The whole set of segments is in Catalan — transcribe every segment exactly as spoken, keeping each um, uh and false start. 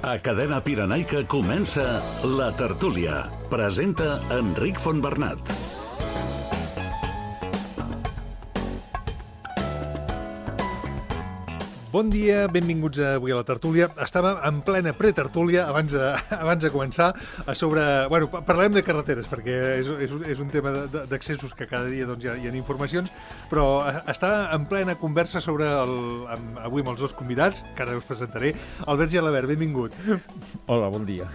A Cadena Pirenaica comença La Tertúlia. Presenta Enric Fontbernat. Bon dia, benvinguts avui a La Tertúlia. Estàvem en plena pretertúlia abans de, abans de començar a sobre... Bueno, parlem de carreteres, perquè és, és, un, és un tema d'accessos que cada dia doncs, hi, ha, hi ha informacions, però està en plena conversa sobre el, amb, avui amb els dos convidats, que ara us presentaré. Albert Gelabert, benvingut. Hola, bon dia.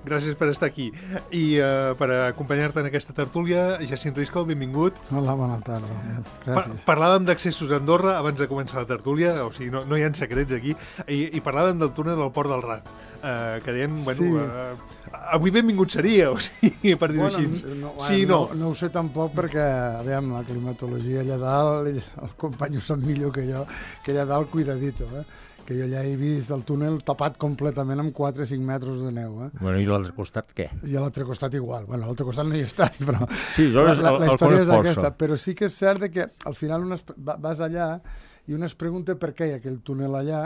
Gràcies per estar aquí. I uh, per acompanyar-te en aquesta tertúlia, Jacint Risco, benvingut. Hola, bona tarda. Gràcies. Pa parlàvem d'accessos a Andorra abans de començar la tertúlia, o sigui, no, no hi ha secrets aquí, i, i parlàvem del túnel del Port del Rat, uh, que dèiem, bueno, sí. uh, avui benvingut seria, o sigui, per dir-ho bueno, així. No, sí, no. no. No ho sé tampoc perquè, aviam, la climatologia allà dalt, el company ho sap millor que jo, que allà dalt cuidadito, eh? Que jo ja he vist el túnel tapat completament amb quatre o cinc metres de neu. Eh? Bueno, i l'altre costat què? I a l'altre costat igual. Bueno, a l'altre costat no hi he estat, però... Sí, jo la, és, la, la història és aquesta. Però sí que és cert que al final un es, vas allà i un es pregunta per què hi ha aquell túnel allà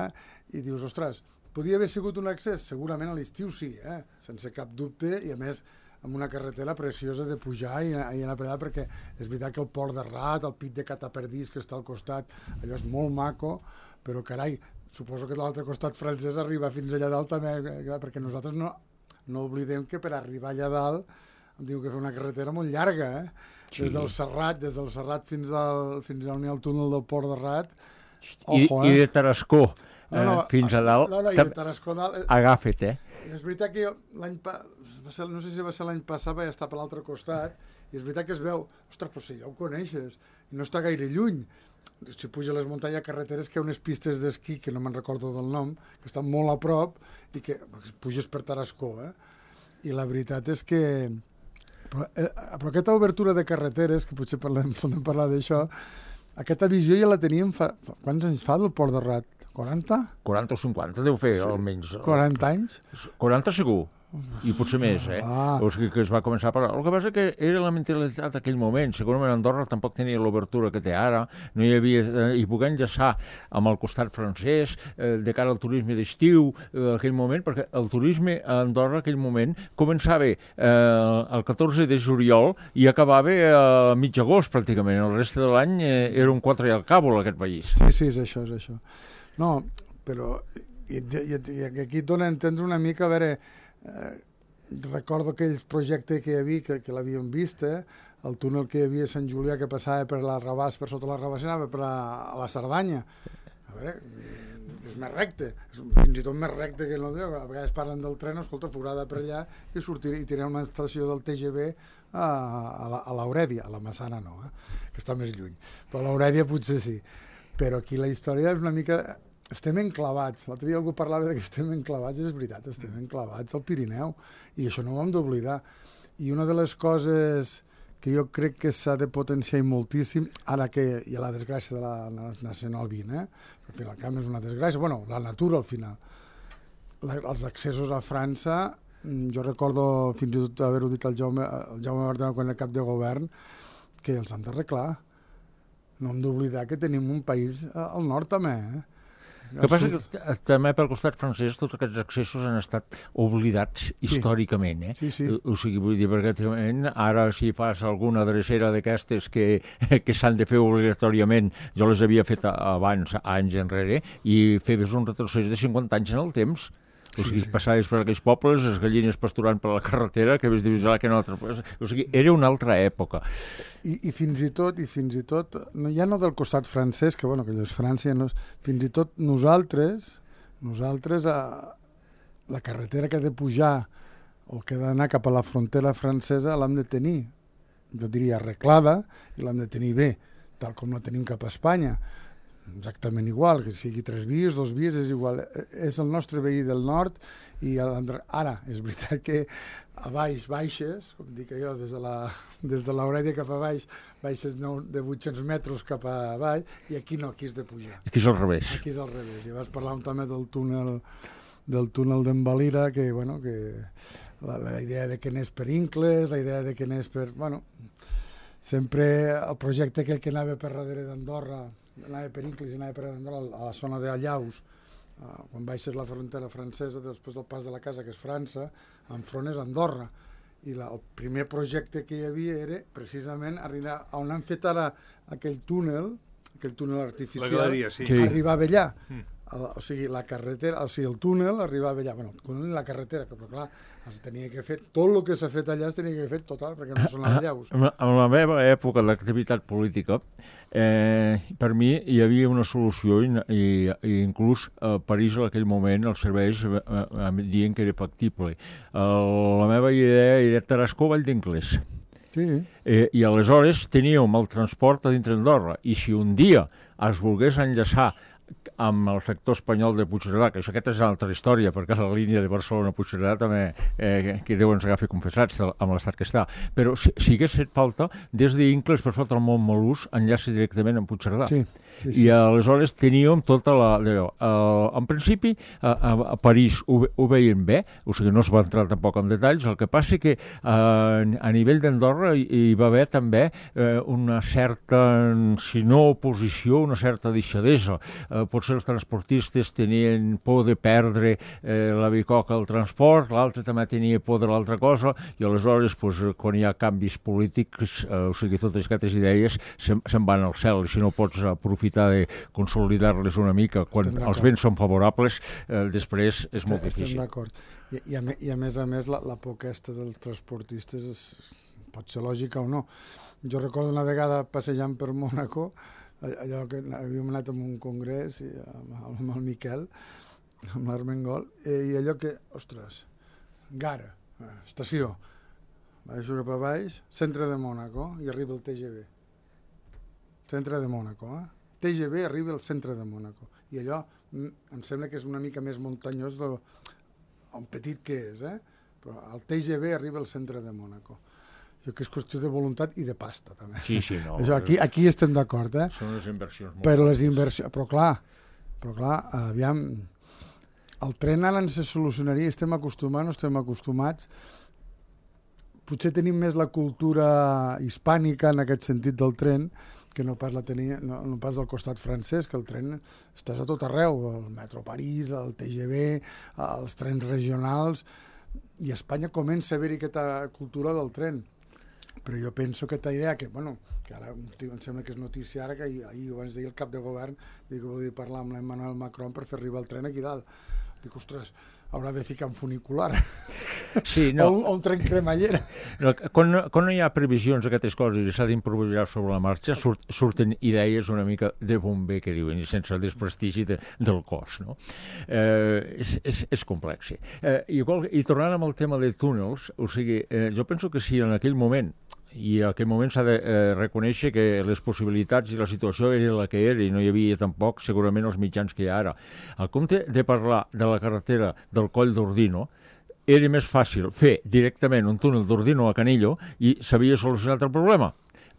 i dius, ostres, podia haver sigut un accés? Segurament a l'estiu sí, eh? Sense cap dubte, i a més amb una carretera preciosa de pujar i, i anar per allà, perquè és veritat que el Port de Rat, el Pit de Cataperdís que està al costat, allò és molt maco, però carai, suposo que de l'altre costat francès arriba fins allà dalt també, perquè nosaltres no, no oblidem que per arribar allà dalt em diu que fer una carretera molt llarga, eh? Sí. Des del Serrat, des del Serrat fins al, fins a on hi ha el túnel del Port de Rat. Ojo, I, eh? I de Tarascó eh, no, no, fins a dalt. No, no, i de Tarascó dalt. Eh, agafa't, eh? És veritat que l'any pa... no sé si va ser l'any passat, vaig estar per l'altre costat, i és veritat que es veu, ostres, però si ja ho coneixes, i no està gaire lluny. Si puja a les muntanyes carreteres que hi ha unes pistes d'esquí, que no me'n recordo del nom, que estan molt a prop, i que puges per Tarascó, eh? I la veritat és que... Però, eh, però aquesta obertura de carreteres, que potser parlem, podem parlar d'això, aquesta visió ja la teníem fa, fa... Quants anys fa del Port de Rat? quaranta? quaranta o cinquanta deu fer, sí. Almenys. quaranta anys? quaranta segur. I potser més, eh? Ah. O sigui que es va començar a parlar. El que passa que era la mentalitat d'aquell moment. Segurament Andorra tampoc tenia l'obertura que té ara, no hi havia... Eh, i poder enllaçar amb el costat francès, eh, de cara al turisme d'estiu, eh, aquell moment, perquè el turisme a Andorra, aquell moment, començava eh, el catorze de juliol i acabava a eh, mig agost, pràcticament. El reste de l'any eh, era un quatre i al càbol, aquest país. Sí, sí, és això, és això. No, però... I, i, i aquí et dona a entendre una mica, a veure... Eh, recordo aquells projectes que hi havia, que, que l'havíem vist, eh? El túnel que hi havia a Sant Julià que passava per la Rabàs, per sota la Rabàs, anava per la, a la Cerdanya. A veure, és més recte, és fins i tot més recte que no, a vegades parlen del tren, escolta, forada per allà i sortir i tirar una estació del T G V a, a l'Aurèdia, a la Massana no, eh? Que està més lluny, però a l'Aurèdia potser sí. Però aquí la història és una mica... Estem enclavats. L'altre dia algú parlava que estem enclavats, és veritat, estem enclavats al Pirineu, i això no ho hem d'oblidar. I una de les coses que jo crec que s'ha de potenciar moltíssim, ara que hi ha la desgràcia de la Nacional vint, eh? Perquè al camp és una desgràcia, bueno, la natura al final. La, els accessos a França, jo recordo fins i tot haver-ho dit al Jaume, al Jaume Bartomeu quan era cap de govern, que els hem d'arreglar. No hem d'oblidar que tenim un país al nord també, eh? El que passa que també pel costat francès tots aquests accessos han estat oblidats sí. històricament, eh? Sí, sí. O sigui, vull dir, perquè ara si fas alguna drecera d'aquestes que, que s'han de fer obligatòriament, jo les havia fet abans, anys enrere, i fes un retrocés de cinquanta anys en el temps. O sigui, sí, sí. Passaves per aquells pobles, les gallines pasturant per la carretera, que ves divisar que no altra cosa. O sigui, era una altra època. I, i fins i tot, i fins i tot, no, ja no del costat francès, que bueno, que és França, no, fins i tot nosaltres, nosaltres, a, la carretera que ha de pujar o que ha d'anar cap a la frontera francesa l'hem de tenir, jo diria, arreglada, i l'hem de tenir bé, tal com la tenim cap a Espanya. Exactament igual, que sigui tres vies, dos vies, és igual. És el nostre veí del nord i ara, és veritat que a baix baixes, com dic jo, des de la, des de l'Aurèdia cap a baix, baixes de vuit-cents metres cap a baix, i aquí no, aquí és de pujar. Aquí és al revés. Aquí és al revés. I vas parlar també del túnel del túnel d'en Valira, que, bueno, que la, la idea de que n'és per Incles, la idea de que n'és per... Bueno, sempre el projecte que, que anava per darrere d'Andorra, anava per Incles i anava per Andorra a la zona d'Allaus, uh, quan baixes la frontera francesa, després del pas de la casa, que és França, enfront és Andorra. I la, el primer projecte que hi havia era precisament arribar on han fet ara aquell túnel, aquell túnel artificial, la galeria, sí. Sí. arribava allà. Mm. El, o sigui, la carretera, o sigui, el túnel arribava allà. Bueno, el túnel i la carretera, que però clar, es tenia que fer, tot el que s'ha fet allà es tenia que fer total, perquè no són allaus. En la, en la meva època d'activitat política, eh, per mi hi havia una solució i, i, i inclús a París en aquell moment els serveis eh, eh, dient que era factible. El, la meva idea era Tarascó, Vall d'Inglés. Sí. Eh, I aleshores teníem el transport a dintre d'Andorra i si un dia es volgués enllaçar amb el sector espanyol de Puigcerdà, que això aquesta és una altra història, perquè la línia de Barcelona-Puigcerdà també, eh, que Déu ens agafi confessats amb l'estat que està, però si, si hagués fet falta, des d'Incles per sota el Montmelús enllaça directament amb Puigcerdà. Sí, sí, sí. I aleshores teníem tota la... Uh, en principi, a, a, a París ho, ho veien bé, o sigui, no es va entrar tampoc en detalls, el que passa que uh, a nivell d'Andorra hi, hi va haver també uh, una certa, si no oposició, una certa deixadesa. Uh, potser els transportistes tenien por de perdre eh, la bicoca al transport, l'altre també tenia por de l'altra cosa, i aleshores, pues, quan hi ha canvis polítics, eh, o sigui, totes aquestes idees se'n se van al cel, i si no pots aprofitar de consolidar-les una mica quan els vents són favorables, eh, després és molt Estem difícil. d'acord. I, i, a, I a més a més, la, la por aquesta dels transportistes és, pot ser lògica o no. Jo recordo una vegada passejant per Mònaco, allò que havíem anat a un congrés i amb, amb el Miquel, amb l'Armengol, i allò que, ostres, Gara, estació, baixo cap a baix, centre de Mònaco, i arriba el T G V. Centre de Mònaco, eh? T G V arriba al centre de Mònaco. I allò em sembla que és una mica més muntanyós del petit que és, eh? Però el T G V arriba al centre de Mònaco. Jo que és qüestió de voluntat i de pasta, també. Sí, sí, no. Això, aquí, aquí estem d'acord, eh? Són les inversions molt Però les inversions... Però clar, però clar, aviam, el tren ara se solucionaria, estem acostumats, no estem acostumats. Potser tenim més la cultura hispànica en aquest sentit del tren, que no pas la tenia, no, no pas del costat francès, que el tren estàs a tot arreu, el metro París, el T G V, els trens regionals, i a Espanya comença a haver-hi aquesta cultura del tren. Però jo penso que aquesta idea, que, bueno, que ara em sembla que és notícia ara, que ahir, ahir abans d'ahir el cap de govern diu que volia parlar amb l'Emmanuel Macron per fer arribar el tren aquí dalt. Dic, ostres, haurà de ficar un funicular. Sí, no. o, un, o un tren cremallera. No, quan, quan no hi ha previsions d'aquestes coses i s'ha d'improvisar sobre la marxa, surt, surten idees una mica de bomber, que diuen, i sense el desprestigi de, del cos, no? Eh, és, és, és complex, sí. Eh, igual, i tornant amb el tema de túnels, o sigui, eh, jo penso que si en aquell moment i en aquell moment s'ha de eh, reconèixer que les possibilitats i la situació era la que era i no hi havia tampoc segurament els mitjans que hi ha ara. Al compte de parlar de la carretera del Coll d'Ordino, era més fàcil fer directament un túnel d'Ordino a Canillo i s'havia solucionat el problema.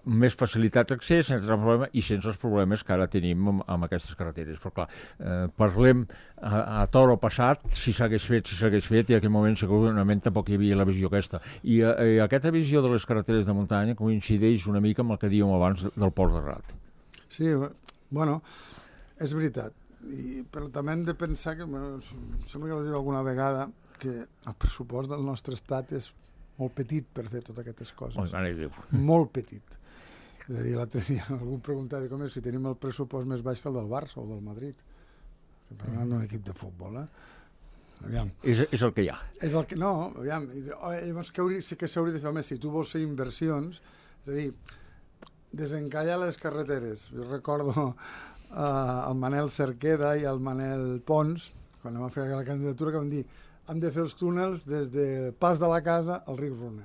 Més facilitat d'accés, sense problema, i sense els problemes que ara tenim amb, amb aquestes carreteres. Però clar, eh, parlem a, a toro passat, si s'hagués fet, si s'hagués fet, i en aquell moment segurament tampoc hi havia la visió aquesta. I, eh, i aquesta visió de les carreteres de muntanya coincideix una mica amb el que dèiem abans del Port de Rat. Sí, bueno, és veritat. I, però també hem de pensar que, bueno, sembla que ho diu alguna vegada, que el pressupost del nostre estat és molt petit per fer totes aquestes coses. Oh, molt petit. És a dir, la tenia, algú preguntava com és si tenim el pressupost més baix que el del Barça o del Madrid. Parlant d'un equip de futbol, eh? Aviam. És, és el que hi ha. És el que, no, aviam. Llavors, que hauria, sí que s'hauria de fer més. Si tu vols fer inversions, és a dir, desencallar les carreteres. Jo recordo uh, el Manel Cerqueda i el Manel Pons, quan vam fer la candidatura, que van dir hem de fer els túnels des del pas de la casa al riu Runa.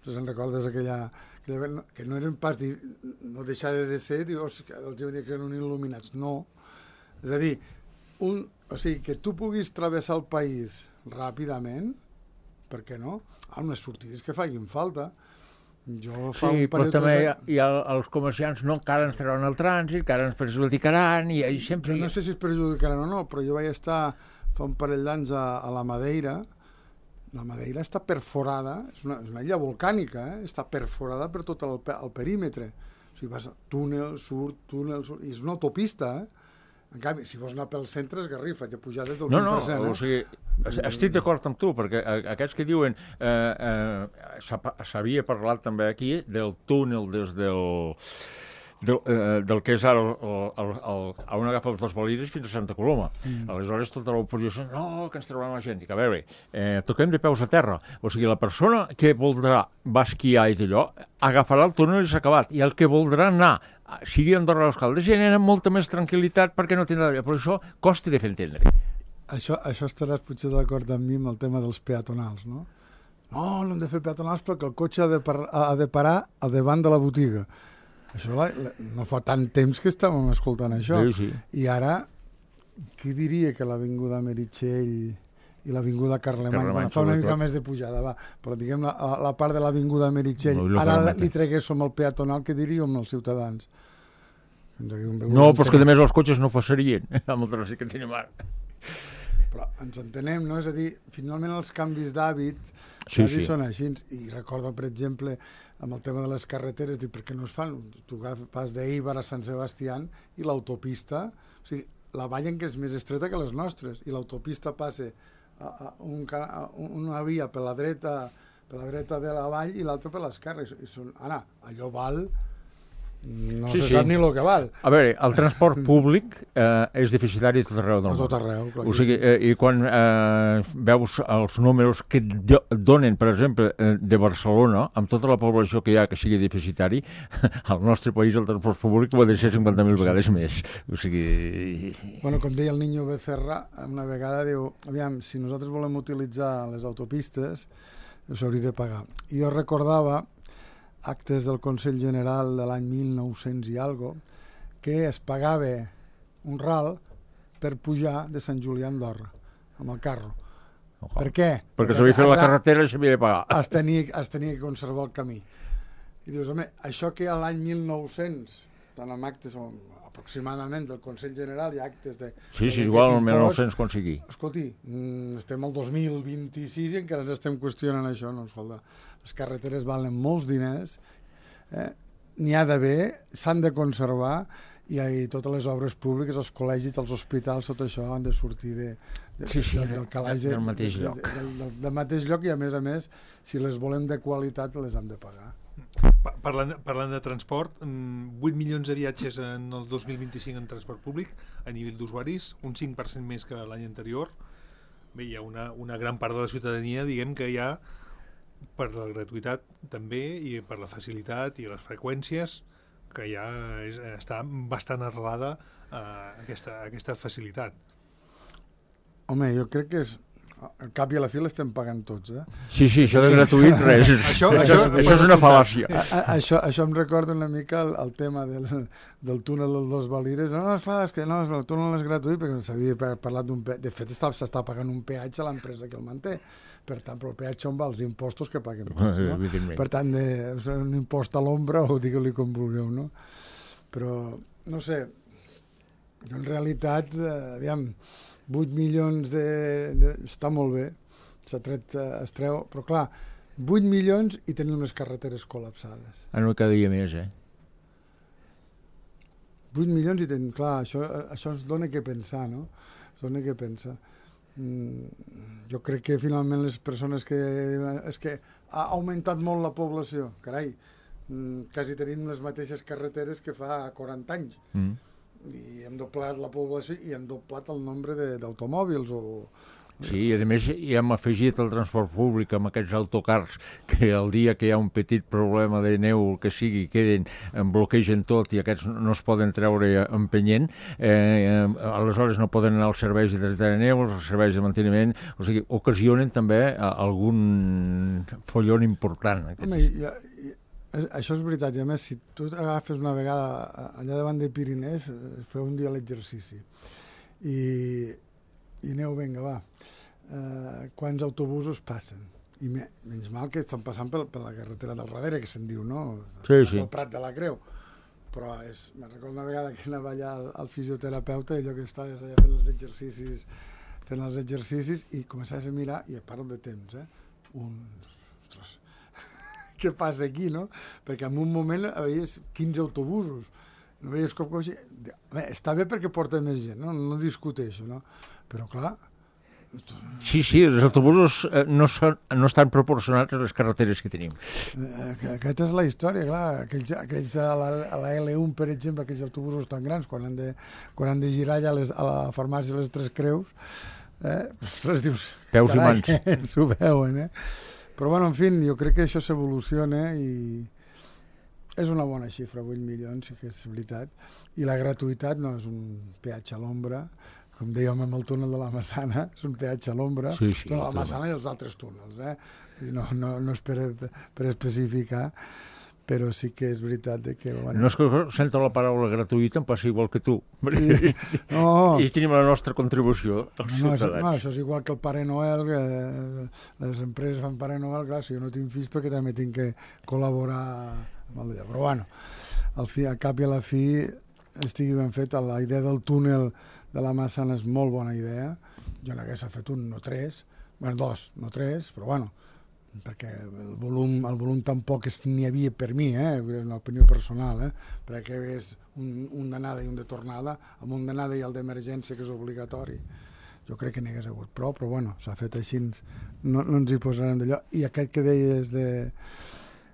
No se'n recordes aquella... que no eren pas... no deixava de ser, diu, els diuen que eren il·luminats. No. És a dir, un, o sigui, que tu puguis travessar el país ràpidament, per què no? Hi ha unes sortides que facin falta. Jo fa sí, un però també hi ha, de... hi ha els comerciants no encara ens trauran el trànsit, encara ens perjudicaran, i sempre... Jo no sé si es perjudicaran o no, però jo vaig estar fa un parell d'anys a, a la Madeira. La Madeira està perforada, és una, és una illa volcànica, eh? Està perforada per tot el, el perímetre. O sigui, vas a túnel, surt, túnel, surt, i és una autopista, eh? En canvi, si vols anar pel centre, es garrifa, ja pujar des del no, vint per cent. No, no, o sigui, estic d'acord amb tu, perquè aquests que diuen, eh, eh, s'havia parlat també aquí del túnel des del... Del, eh, del que és ara el, el, el, on agafa els dos boliris fins a Santa Coloma. Mm. Aleshores, tota l'oposició, no, que ens trauran la gent. Dic, a veure, eh, toquem de peus a terra. O sigui, la persona que voldrà va esquiar i d'allò, agafarà el túnel i s'ha acabat. I el que voldrà anar, sigui a Andorra a l'Escaldes, ja anirà amb molta més tranquil·litat perquè no tindrà... Però això costi de fer entendre. Això, això estaràs potser d'acord amb mi amb el tema dels peatonals, no? No, no hem de fer peatonals perquè el cotxe ha de, par ha de parar a davant de la botiga. Això la, la, no fa tant temps que estàvem escoltant això. Sí, sí. I ara, qui diria que l'Avinguda Meritxell i l'Avinguda Carlemany, Carlemany bueno, fa una mica tot. més de pujada, va, però diguem la, la, la part de l'Avinguda Meritxell, No, ara li treguéssim el peatonal, què diríem els ciutadans? No, però és que a més els cotxes no passarien amb el trànsit que tenim ara. Però ens entenem, no? És a dir, finalment els canvis d'hàbits sí, sí. sí. són així. I recordo, per exemple, amb el tema de les carreteres, dic, per què no es fan? Tu vas d'Eibar a Sant Sebastià i l'autopista, o sigui, la vall en què és més estreta que les nostres, i l'autopista passa a, a, un, a una via per la dreta per la dreta de la vall i l'altra per l'esquerra. I són, ara, allò val... No sí, se sí. sap ni el que val. A veure, el transport públic eh, és deficitari a tot arreu del món. A tot arreu, clar. O sigui, eh, i quan eh, veus els números que donen, per exemple, eh, de Barcelona, amb tota la població que hi ha que sigui deficitari, al nostre país el transport públic ho ha de ser cinquanta mil vegades més. O sigui... Bueno, com deia el Niño Becerra, una vegada diu, aviam, si nosaltres volem utilitzar les autopistes, s'hauria de pagar. I jo recordava actes del Consell General de l'any mil nou-cents i algo, que es pagava un ral per pujar de Sant Julià a Andorra, amb el carro. Oh, per què? Perquè s'havia fet la carretera i s'havia de pagar. Es tenia, es tenia que conservar el camí. I dius, home, això que a l'any mil nou-cents, tant amb actes aproximadament del Consell General i actes de... Sí, sí, igual el mil nou-cents quan sigui. Escolti, estem al dos mil vint-i-sis i encara ens estem qüestionant això, no? Escolta, les carreteres valen molts diners, eh? N'hi ha d'haver, s'han de conservar, i, i totes les obres públiques, els col·legis, els hospitals, tot això han de sortir de, de, sí, sí, del, del calaix de, del mateix de, lloc. De, de, de, del mateix lloc, i a més a més, si les volem de qualitat, les hem de pagar. Parlant, parlant de transport, vuit milions de viatges en el dos mil vint-i-cinc en transport públic a nivell d'usuaris, un cinc per cent més que l'any anterior. Bé, hi ha una, una gran part de la ciutadania, diguem que hi ha, per la gratuïtat també, i per la facilitat i les freqüències, que ja és, està bastant arrelada a aquesta, a aquesta facilitat. Home, jo crec que és... Al cap i a la fi l'estem pagant tots, eh? Sí, sí, això de gratuït, res. això, això, això és una fal·làcia. A, a, això, això em recorda una mica el, el tema del, del túnel dels dos Valires. No, no, esclar, és que no, el túnel és gratuït, perquè s'havia parlat d'un peatge. De fet, s'està pagant un peatge a l'empresa que el manté. Per tant, però el peatge on va? Els impostos que paguem tots, no? Per tant, de, un impost a l'ombra, o digue-li com vulgueu, no? Però, no sé, jo en realitat, eh, aviam, vuit milions de, de... està molt bé, s'ha tret, es treu, però clar, vuit milions i tenim les carreteres col·lapsades. Ah, no, cada dia més, eh? vuit milions i tenim, clar, això, això ens dona què pensar, no? Ens dona què pensar. Mm, jo crec que finalment les persones que... És que ha augmentat molt la població, carai, mm, quasi tenim les mateixes carreteres que fa quaranta anys. Mm. I hem doblat la població i hem doblat el nombre d'automòbils o... Sí, i a més hi hem afegit el transport públic amb aquests autocars que el dia que hi ha un petit problema de neu o que sigui, queden, bloquegen tot i aquests no es poden treure empenyent, eh, aleshores no poden anar als serveis de tracte de neu, als serveis de manteniment, o sigui, ocasionen també algun follon important. Home, ja... Això és veritat, i a més, si tu agafes una vegada allà davant de Pirinès, feu un dia l'exercici i, i aneu, vinga, va, uh, quants autobusos passen? I me, menys mal que estan passant per, per la carretera del darrere, que se'n diu, no? Sí, sí. El Prat de la Creu. Però és, me'n recordo una vegada que anava allà al, al fisioterapeuta i allò que estaves allà fent els exercicis, fent els exercicis i començaves a mirar, i parlo de temps, eh? Un... Ostres, què passa aquí, no? Perquè en un moment havies quinze autobusos no veies com coixí. Bé, està bé perquè porta més gent, no, no discuteixo, no? Però clar... Sí, sí, els autobusos eh, no, són, no estan proporcionats a les carreteres que tenim. Eh, aquesta és la història, clar. Aquells, aquells a, la, a la L un, per exemple, aquells autobusos tan grans, quan han de, quan han de girar allà a, les, a la farmàcia les Tres Creus, eh, ostres, dius... Peus carai, i mans. S'ho veuen, eh? Però, bueno, en fi, jo crec que això s'evoluciona i és una bona xifra, vuit milions, sí que és veritat. I la gratuïtat no és un peatge a l'ombra, com dèiem amb el túnel de la Massana, és un peatge a l'ombra, sí, sí, la Massana i els altres túnels, eh? No, no, no és per, per especificar, però sí que és veritat que... Bueno... No és que sento la paraula gratuïta, em passa igual que tu. Sí. No. I tenim la nostra contribució als no, ciutadans. No, això és igual que el Pare Noel, que les empreses fan Pare Noel, clar, si jo no tinc fills perquè també tinc que col·laborar amb el d'allò. Però bueno, al, fi, al cap i a la fi estigui ben fet, la idea del túnel de la Massana és molt bona idea. Jo n'hagués fet un, no tres, bueno, dos, no tres, però bueno, perquè el volum, el volum tampoc n'hi havia per mi, eh? És una opinió personal, eh? Perquè és un, un d'anada i un de tornada, amb un d'anada i el d'emergència, que és obligatori. Jo crec que n'hi hagués hagut prou, però bueno, s'ha fet així, no, no ens hi posarem d'allò. I aquest que deies de,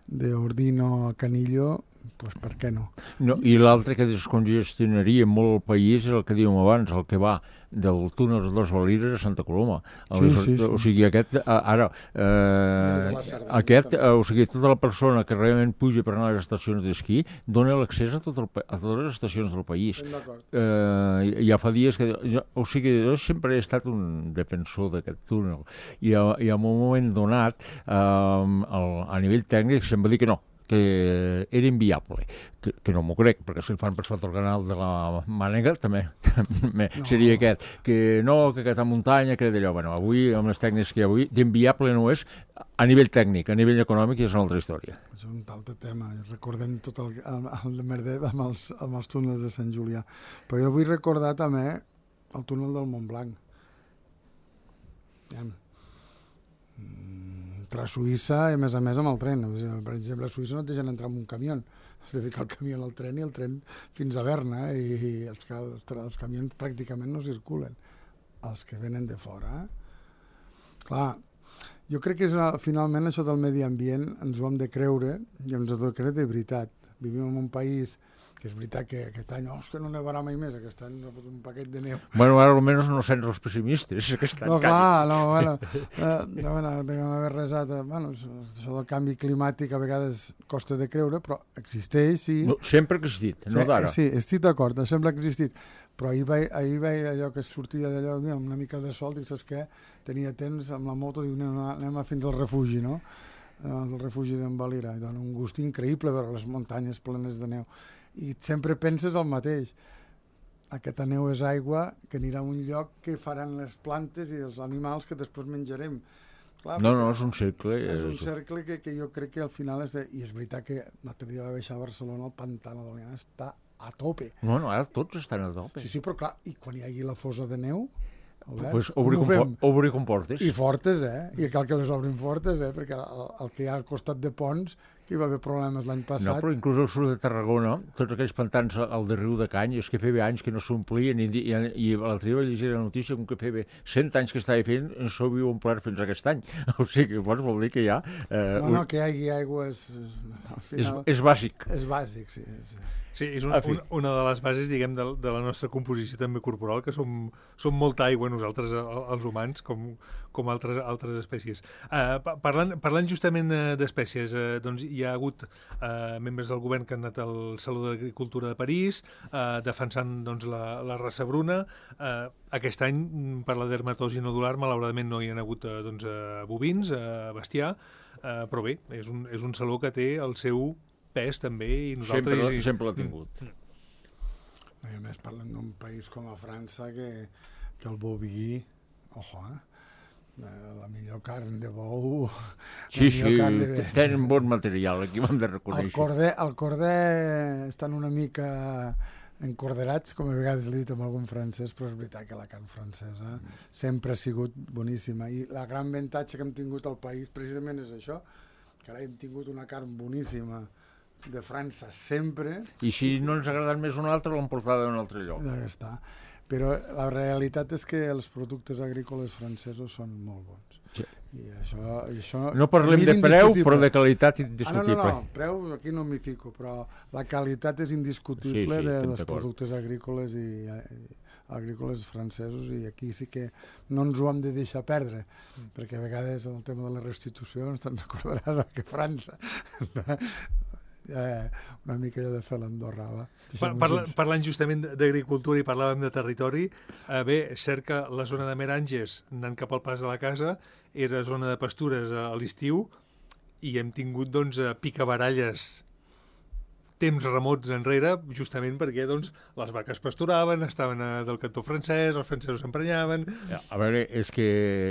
de Ordino a Canillo, doncs per què no? no I l'altre que descongestionaria molt el país és el que dèiem abans, el que va del túnel de Dos Valires a Santa Coloma. Sí, sí, sí. O sigui, aquest, ara, eh, aquest, eh, o sigui, tota la persona que realment puja per anar a les estacions d'esquí dona l'accés a, tot el, a totes les estacions del país. Eh, ja fa dies que... Jo, o sigui, jo sempre he estat un defensor d'aquest túnel i, a, i en un moment donat, eh, el, a nivell tècnic, se'm va dir que no, que era inviable, que, que no m'ho crec, perquè si el fan per sota el canal de la Mànega també, també no. Seria aquest, que no, que aquesta muntanya, que era d'allò. Bueno, avui, amb les tècniques que hi ha avui, d'inviable no és a nivell tècnic, a nivell econòmic és una altra història. És un altre tema, recordem tot el, el, el merder amb els, amb els túnels de Sant Julià. Però jo vull recordar també el túnel del Montblanc. Ja. Entre Suïssa i a més a més amb el tren. Per exemple, a Suïssa no et deixen entrar amb un camió. Has de ficar el camió al tren i el tren fins a Berna, eh? I els, els, els camions pràcticament no circulen. Els que venen de fora. Clar, jo crec que és, finalment això del medi ambient ens ho hem de creure i ens ho hem de creure de veritat. Vivim en un país que és veritat que aquest any, oh, és que no nevarà mai més, aquest any ha fotut un paquet de neu. Bueno, ara almenys no sents els pessimistes, aquest any. No, clar, no, bueno, eh, no, bueno, deuen haver resat, eh, bueno, això del canvi climàtic a vegades costa de creure, però existeix, sí. No, sempre ha existit, no d'ara. Sí, estic d'acord, sembla que ha existit, però ahir veia, ahir veia allò que sortia d'allò, amb una mica de sol, dic, saps què? Tenia temps amb la moto, diu, anem, anem fins al refugi, no? El refugi d'en Valira, i dona un gust increïble veure les muntanyes plenes de neu. I sempre penses el mateix. Aquesta neu és aigua que anirà a un lloc que faran les plantes i els animals que després menjarem. Clar, no, no, és un cercle. És un cercle que, que jo crec que al final és... De... I és veritat que l'altre dia va baixar a Barcelona, el Pantano de l'Oliana està a tope. No, no, ara tots estan a tope. Sí, sí, però clar, i quan hi hagi la fosa de neu... Albert, pues obri, compor obri comportes. I fortes, eh? I cal que les obrin fortes, eh? Perquè el, el que hi ha al costat de ponts, que hi va haver problemes l'any passat... No, però inclús al sud de Tarragona, tots aquells pantans al de Riu de Cany, és que feia anys que no s'omplien, i, i, i l'altre dia vaig llegir la notícia com que feia cent anys que estava fent, en s'ho havia omplert fins aquest any. O sigui, doncs vol dir que ja... Eh, no, no, que hi hagi aigua és... Al final, és, és bàsic. És bàsic, sí. sí. Sí, és un, un, una de les bases, diguem, de, de la nostra composició també corporal, que som, som molta aigua nosaltres, els humans, com, com altres, altres espècies. Uh, parlant, parlant justament d'espècies, uh, doncs hi ha hagut uh, membres del govern que han anat al Saló d'Agricultura de París, uh, defensant doncs, la, la raça bruna. Uh, aquest any, per la dermatosi nodular, malauradament no hi ha hagut uh, doncs, uh, bovins, uh, bestiar, uh, però bé, és un, és un saló que té el seu pes també i nosaltres... Sempre, i... sempre l'ha tingut. I a més parlem d'un país com a França que, que el boví, ojo, eh? La millor carn de bou... Sí, sí, de... tenen bon material, aquí ho hem de reconèixer. El corder, el corder estan una mica encorderats, com a vegades l'he dit amb algun francès, però és veritat que la carn francesa mm. sempre ha sigut boníssima. I la gran avantatge que hem tingut al país precisament és això, que ara hem tingut una carn boníssima de França sempre. I si no ens ha agradat més un altre, l'hem portat a un altre lloc. Ja està. Però la realitat és que els productes agrícoles francesos són molt bons. Sí. I això, i això no parlem de preu, però de qualitat Ah, indiscutible. no, no, no, preu aquí no m'hi fico, però la qualitat és indiscutible sí, sí, dels productes agrícoles i, i agrícoles francesos, i aquí sí que no ens ho hem de deixar perdre, mm. perquè a vegades en el tema de les restitucions te'n recordaràs que França eh, una mica allò de fer l'Andorra. Par parla parlant justament d'agricultura i parlàvem de territori, eh, bé, és cert que la zona de Meranges, anant cap al pas de la casa, era zona de pastures a l'estiu i hem tingut doncs, picabaralles temps remots enrere, justament perquè doncs, les vaques pasturaven, estaven a, del cantó francès, els francesos s'emprenyaven... A veure, és que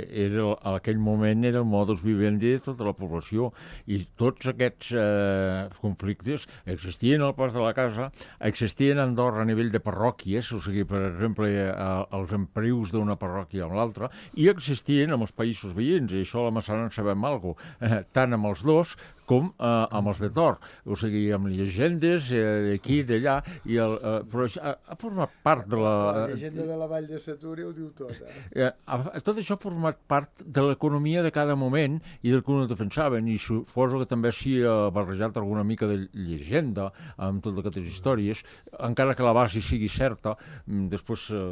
era, en aquell moment era el modus vivendi de tota la població i tots aquests eh, conflictes existien al pas de la casa, existien a Andorra a nivell de parròquies, o sigui, per exemple, eh, els emprius d'una parròquia amb l'altra, i existien amb els països veïns, i això a la Massana en sabem alguna cosa, eh, tant amb els dos com eh, amb els de Tor, o sigui, amb llegendes eh, d'aquí, d'allà, i el, eh, però això ha, ha format part de la... La llegenda de la Vall de Setúria ho diu tot, eh? eh ha, tot això ha format part de l'economia de cada moment i del que ho defensaven, i suposo que també s'hi ha barrejat alguna mica de llegenda amb totes aquestes històries, encara que la base sigui certa, després eh,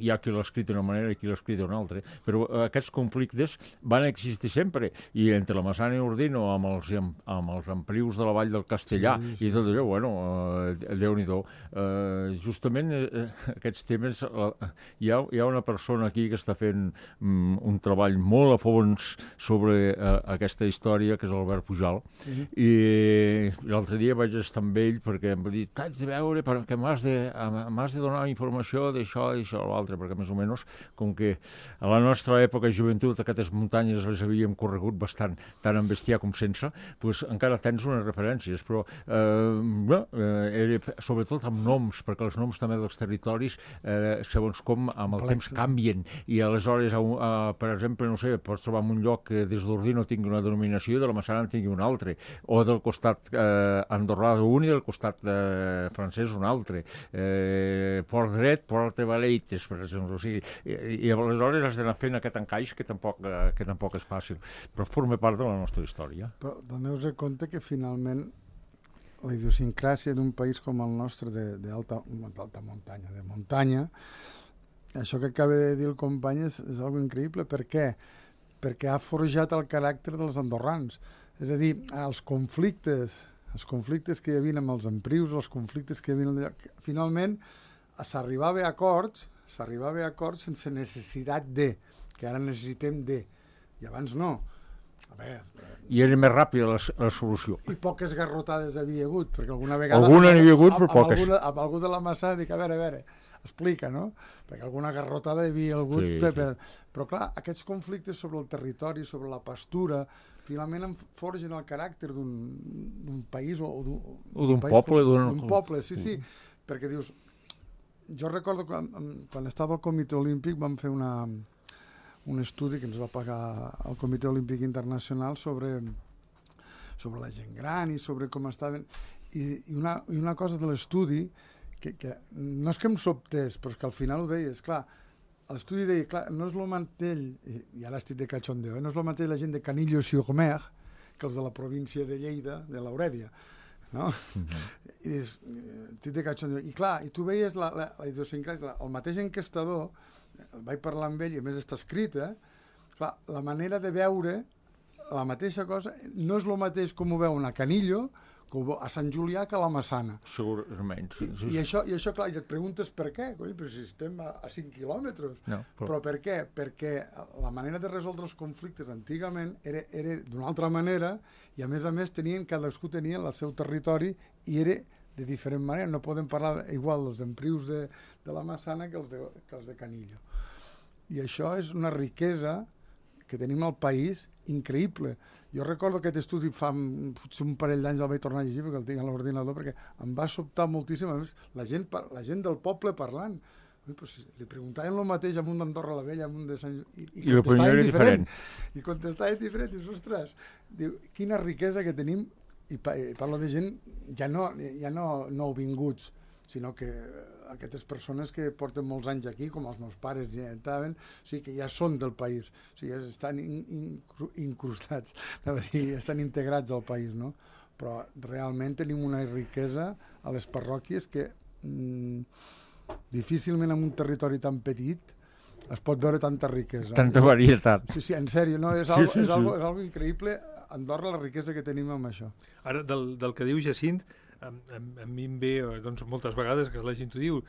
hi ha qui l'ha escrit d'una manera i qui l'ha escrit d'una altra, però eh, aquests conflictes van existir sempre, i entre la Massana i Ordino, amb els amb els emprius de la Vall del Castellà sí, sí. i tot allò, bueno, eh, Déu-n'hi-do. Eh, justament eh, aquests temes, eh, hi, ha, hi ha una persona aquí que està fent mm, un treball molt a fons sobre eh, aquesta història, que és l'Albert Pujal, sí. i l'altre dia vaig estar amb ell perquè em va dir, t'haig de veure perquè m'has de, de donar informació d'això, d'això, l'altre, perquè més o menys, com que a la nostra època de joventut aquestes muntanyes les havíem corregut bastant, tant en bestiar com sense, pues encara tens unes referències, però eh, bé, eh, era, sobretot amb noms, perquè els noms també dels territoris, eh, segons com amb el temps canvien, i aleshores, a, a, per exemple, no sé, pots trobar en un lloc que des d'Ordino tingui una denominació i de la Massana en tingui una altra, o del costat eh, andorrà un i del costat eh, francès un altre, eh, Port Dret, Port de Valeites, per exemple, o sigui, i, i aleshores has d'anar fent aquest encaix que tampoc, eh, que tampoc és fàcil, però forma part de la nostra història. Però doneu-vos compte que finalment la idiosincràsia d'un país com el nostre d'alta muntanya, de muntanya, això que acaba de dir el company és, és algo increïble. Per què? Perquè ha forjat el caràcter dels andorrans. És a dir, els conflictes, els conflictes que hi havia amb els emprius, els conflictes que hi havia... Finalment, s'arribava a acords, s'arribava a acords sense necessitat de, que ara necessitem de, i abans no. A veure, i era més ràpida la, la solució. I poques garrotades havia hagut, perquè alguna vegada... Alguna n'hi havia hagut, però poques. Amb, amb algú de la Massana dic, a veure, a veure, explica, no? Perquè alguna garrotada hi havia hagut, sí, per, per... però clar, aquests conflictes sobre el territori, sobre la pastura, finalment forgen el caràcter d'un país o d'un poble. D'un poble, sí, sí, perquè dius... Jo recordo quan, quan estava al Comitè Olímpic vam fer una... un estudi que ens va pagar el Comitè Olímpic Internacional sobre, sobre la gent gran i sobre com estaven... I, i, una, i una cosa de l'estudi, que, que no és que em sobtés, però que al final ho deies, clar, l'estudi deia, clar, no és el mateix, i, i ara estic de cachondeo, eh? No és el mateix la gent de Canillo-sur-Mer que els de la província de Lleida, de l'Aurèdia, no? Mm-hmm. I dius, estic de cachondeo. I clar, i tu veies la, la, la idiosincràsia, el mateix enquestador, vaig parlar amb ell i a més està escrit, eh? Clar, la manera de veure la mateixa cosa no és el mateix com ho veuen a Canillo, com a Sant Julià, que a la Massana. Segurament. I, i, això, i això, clar, i et preguntes per què, coi, però si estem a, a cinc quilòmetres. No, però... però per què? Perquè la manera de resoldre els conflictes antigament era, era d'una altra manera i a més a més tenien, cadascú tenia el seu territori i era de diferent manera, no podem parlar igual dels emprius de, de la Massana que els de, que els de Canillo. I això és una riquesa que tenim al país increïble. Jo recordo aquest estudi fa potser un parell d'anys el vaig tornar a llegir perquè el tinc a l'ordinador perquè em va sobtar moltíssim, a més, la gent, la gent del poble parlant. Ui, però si li preguntaven el mateix a un d'Andorra la Vella, a un de Sant... I, i, I contestaven diferent. I contestaven diferent. Dius, ostres, diu, quina riquesa que tenim i, pa, i parlo de gent ja no, ja no nouvinguts, sinó que aquestes persones que porten molts anys aquí, com els meus pares ja estaven, o sigui que ja són del país, o sigui, estan in, in, incrustats, a dir, estan integrats al país, no? Però realment tenim una riquesa a les parròquies que mm, difícilment en un territori tan petit es pot veure tanta riquesa. Tanta varietat. Sí, sí, en sèrio, no? És algo, sí, sí, és algo, sí. és algo increïble. A Andorra la riquesa que tenim amb això. Ara, del, del que diu Jacint, a, a, a mi em ve doncs, moltes vegades que la gent t'ho diu,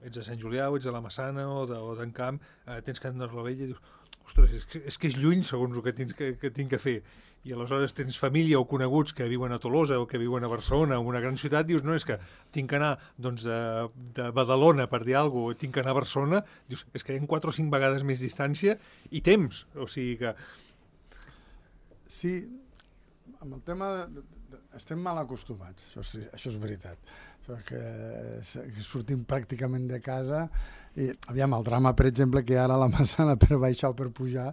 ets a Sant Julià o ets a la Massana o d'Encamp, eh, tens que anar a la Vella i dius, ostres, és que, és que és lluny segons el que tinc que, que tinc que fer. I aleshores tens família o coneguts que viuen a Tolosa o que viuen a Barcelona o una gran ciutat, dius, no, és que tinc que anar doncs, de, de Badalona, per dir alguna cosa, tinc que anar a Barcelona, dius, és que hi ha quatre o cinc vegades més distància i temps, o sigui que... Sí, amb el tema de, de, de, estem mal acostumats, això, sí, això és veritat, perquè sortim pràcticament de casa i, aviam, el drama, per exemple, que ara a la Massana per baixar o per pujar,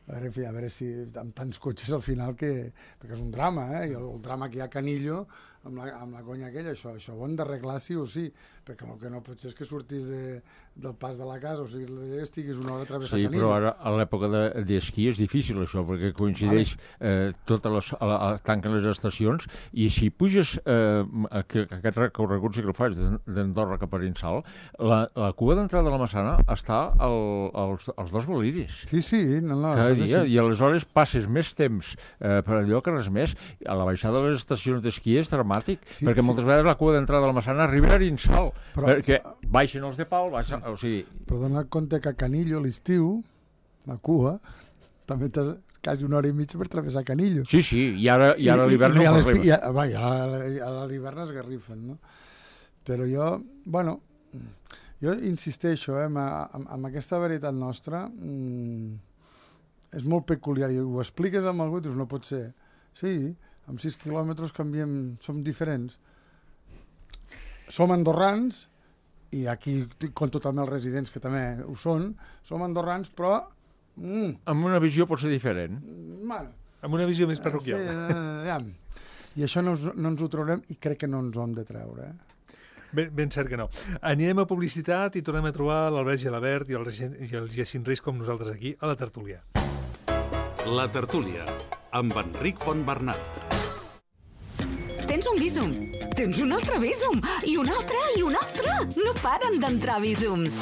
a veure, a veure si amb tants cotxes al final que... perquè és un drama, eh? I el, el drama que hi ha a Canillo amb la, amb la conya aquella, això, això ho hem d'arreglar sí o sí, perquè el que no pot ser és que surtis de, del pas de la casa, o sigui, estiguis una hora a travessar sí, Canillo. Sí, però ara a l'època d'esquí de, és difícil això, perquè coincideix vale. eh, totes les... A, a, tanquen les estacions, i si puges eh, aquest recorregut, si que el faig d'Andorra cap a Arinsal, la, la cua d'entrada de la Massana està al, als, als dos boliris. Sí, sí, no, no. Cada dia, sí. I aleshores passes més temps eh, per allò que res més. A la baixada de les estacions d'esquí és dramàtic, sí, perquè sí. moltes vegades la cua d'entrada de la Massana arriba a Arinsal, però, perquè baixen els de pal, baixen, o sigui... Però dona compte que a Canillo, a l'estiu, la cua, també t'has quasi una hora i mitja per travessar Canillo. Sí, sí, i ara, i ara a l'hivern no parlem. I a l'hivern es garrifen, no? Però jo, bueno, jo insisteixo, eh, amb, amb aquesta veritat nostra, mmm, és molt peculiar, i ho expliques amb algú i dius, no pot ser. Sí, amb sis quilòmetres canviem, som diferents. Som andorrans, i aquí compto també els residents que també ho són, som andorrans, però... Mm, amb una visió pot ser diferent. Bueno, amb una visió més parroquial. Sí, eh, ja. I això no, no ens ho traurem i crec que no ens ho hem de treure. Eh? Ben, ben cert que no. Anirem a publicitat i tornem a trobar l'Albert Gelabert i el, i el Jacint Riz com nosaltres aquí a la tertúlia. La tertúlia, amb Enric Fontbernat. Tens un Bizum, tens un altre Bizum, i un altre, i un altre. No paren d'entrar Bizums.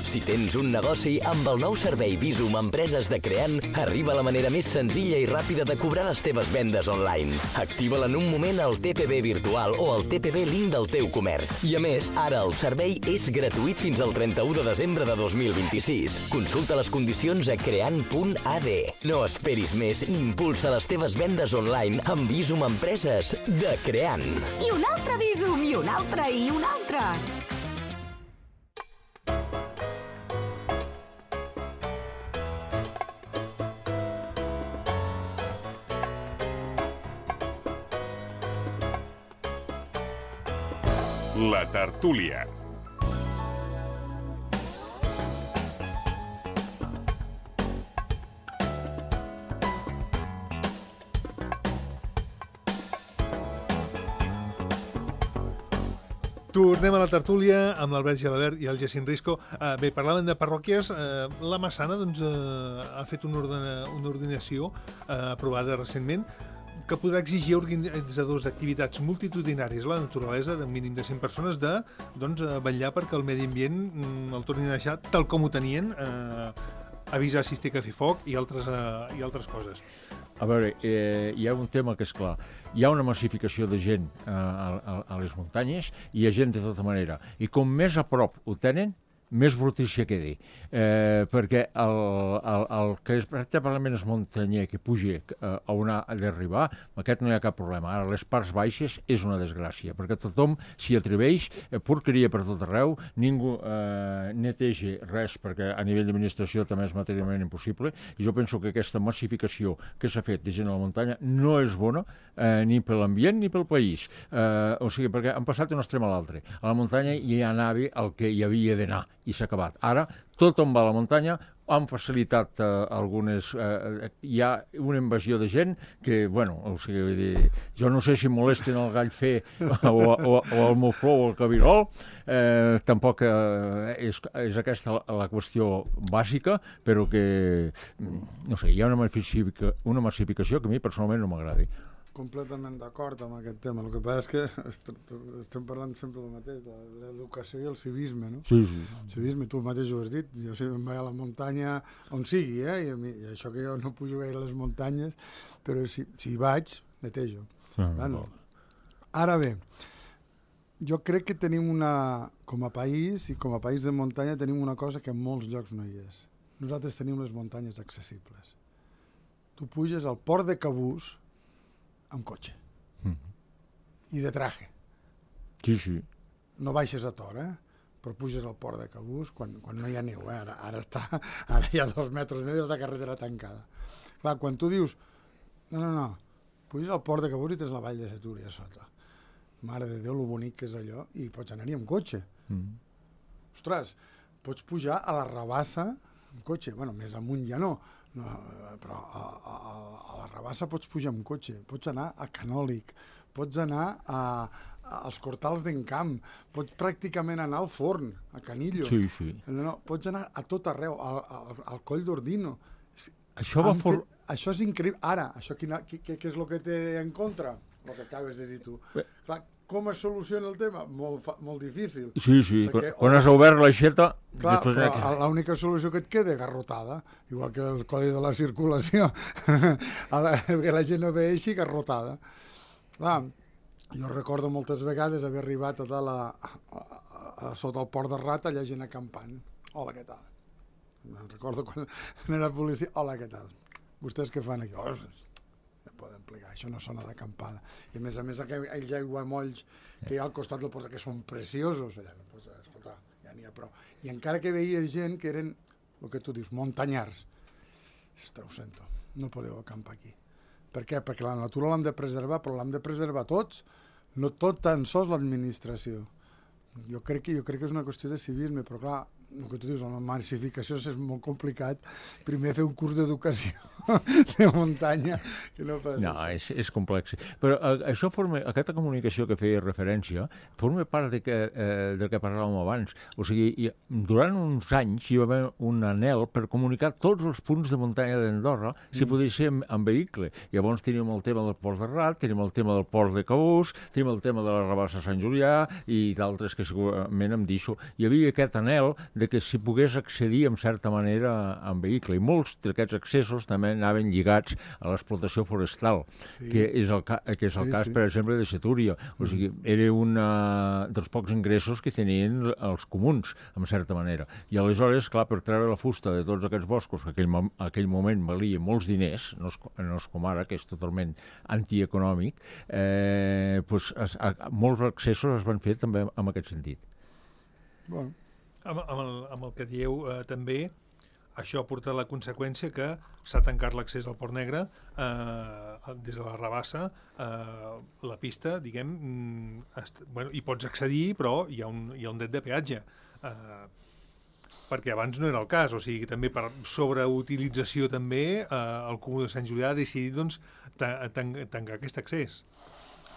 Si tens un negoci, amb el nou servei Bizum Empreses de Creant, arriba la manera més senzilla i ràpida de cobrar les teves vendes online. Activa-la en un moment al T P B virtual o al T P B link del teu comerç. I a més, ara el servei és gratuït fins al trenta-u de desembre de dos mil vint-i-sis. Consulta les condicions a creant punt a d. No esperis més i impulsa les teves vendes online amb Bizum Empreses de Creant. I un altre Bizum, i un altre, i un altre. La tertúlia. Tornem a la tertúlia amb l'Albert Gelabert i el Jacint Risco. Uh, bé, parlaven de parròquies. Uh, la Massana doncs, uh, ha fet una, ordena, una ordinació uh, aprovada recentment que podrà exigir a organitzadors d'activitats multitudinàries a la naturalesa d'un mínim de cent persones de doncs, vetllar perquè el medi ambient mm, el tornin a deixar tal com ho tenien, eh, avisar si es té que fer foc i altres, eh, i altres coses. A veure, eh, hi ha un tema que és clar. Hi ha una massificació de gent eh, a, a les muntanyes i hi ha gent de tota manera. I com més a prop ho tenen, més brutícia quedi. Eh, perquè el, el, el que és pràcticament és muntanyer que pugi eh, a on ha d'arribar, aquest no hi ha cap problema. Ara, les parts baixes és una desgràcia, perquè tothom s'hi atreveix, eh, porqueria per tot arreu, ningú eh, neteja res, perquè a nivell d'administració també és materialment impossible, i jo penso que aquesta massificació que s'ha fet de gent a la muntanya no és bona, eh, ni per l'ambient ni pel país. Eh, o sigui, perquè han passat d'un extrem a l'altre. A la muntanya hi anava el que hi havia d'anar, i s'ha acabat. Ara, tothom va a la muntanya han facilitat eh, algunes... Eh, hi ha una invasió de gent que, bueno, o sigui, vull dir, jo no sé si molesten el gall fer o, o, o el mufló o el cabirol, eh, tampoc eh, és, és aquesta la, la qüestió bàsica, però que, no sé, hi ha una massificació, una massificació que a mi personalment no m'agrada. Completament d'acord amb aquest tema. El que passa és que est estem parlant sempre del mateix, de l'educació i el civisme, no? Sí, sí. El civisme, tu mateix ho has dit, jo sempre em vaig a la muntanya on sigui, eh? I, a mi, i això que jo no pujo gaire a les muntanyes, però si, si hi vaig, netejo. Ah, bueno. Ara bé, jo crec que tenim una, com a país i com a país de muntanya tenim una cosa que en molts llocs no hi és. Nosaltres tenim les muntanyes accessibles. Tu puges al port de Cabús amb cotxe. Mm. I de traje. Sí, sí. No baixes a Tor, eh? Però puges al port de Cabús quan, quan no hi ha neu, eh? Ara, ara, està, ara hi ha dos metres de neu de carretera tancada. Clar, quan tu dius, no, no, no, puges al port de Cabús i tens la vall de Setúria a sota. Mare de Déu, lo bonic que és allò, i pots anar-hi amb cotxe. Mm. Ostres, pots pujar a la Rabassa amb cotxe. Bueno, més amunt ja no, no, però a, a, a la Rabassa pots pujar amb cotxe, pots anar a Canòlic, pots anar a, a, als Cortals d'Encamp, pots pràcticament anar al Forn, a Canillo. Sí, sí. No, pots anar a tot arreu, al, al, al Coll d'Ordino. Això va for... fet, això és increïble. Ara, això quina, què, què és el que té en contra? El que acabes de dir tu. Bé. Clar, com es soluciona el tema? Molt, fa, molt difícil. Sí, sí, perquè, quan has obert l'aixeta... Clar, però l'única solució que et queda és garrotada, igual que el codi de la circulació, que la gent no vegi garrotada. Clar, jo recordo moltes vegades haver arribat a, dalt a, a, a, a sota el port de Rat, allà gent acampant. Hola, què tal? Recordo quan era policia, hola, què tal? Vostès què fan aquí? Oh, poden plegar, això no sona d'acampada. I a més a més aquells aiguamolls que hi ha al costat del port, que són preciosos allà, pues, escolta, ja n'hi ha prou. I encara que veia gent que eren, el que tu dius, muntanyars, ostres, ho sento, no podeu acampar aquí. Per què? Perquè la natura l'hem de preservar, però l'hem de preservar tots, no tot tan sols l'administració. Jo crec que jo crec que és una qüestió de civisme, però clar, el que tu dius, la massificació és molt complicat. Primer fer un curs d'educació de muntanya, que no passa. No, és, és complex. Però eh, això forma, aquesta comunicació que feia referència, forma part de que, eh, del que parlàvem abans. O sigui, hi, durant uns anys hi va haver un anhel per comunicar tots els punts de muntanya d'Andorra, si mm. podia ser amb, amb vehicle. Llavors tenim el tema del port de Rat, tenim el tema del port de Cabús, tenim el tema de la Rabassa Sant Julià i d'altres que segurament em deixo. Hi havia aquest anhel de que s'hi pogués accedir en certa manera amb vehicle. I molts d'aquests accessos també anaven lligats a l'explotació forestal, sí. que és el, ca que és el sí, cas, sí. per exemple, de Setúria. O sigui, era un dels pocs ingressos que tenien els comuns, en certa manera. I aleshores, clar, per treure la fusta de tots aquests boscos, que aquell, aquell moment valia molts diners, no és, no és com ara, que és totalment antieconòmic, eh, pues, es, a, molts accessos es van fer també en aquest sentit. Bueno. Amb, amb, el, amb el que dieu eh, també, això ha portat la conseqüència que s'ha tancat l'accés al Port Negre eh, des de la Rabassa, eh, la pista, diguem, est, bueno, hi pots accedir, però hi ha un, hi ha un dret de peatge. Eh, perquè abans no era el cas, o sigui, també per sobreutilització també eh, el Comú de Sant Julià ha decidit doncs, ta tan tancar aquest accés,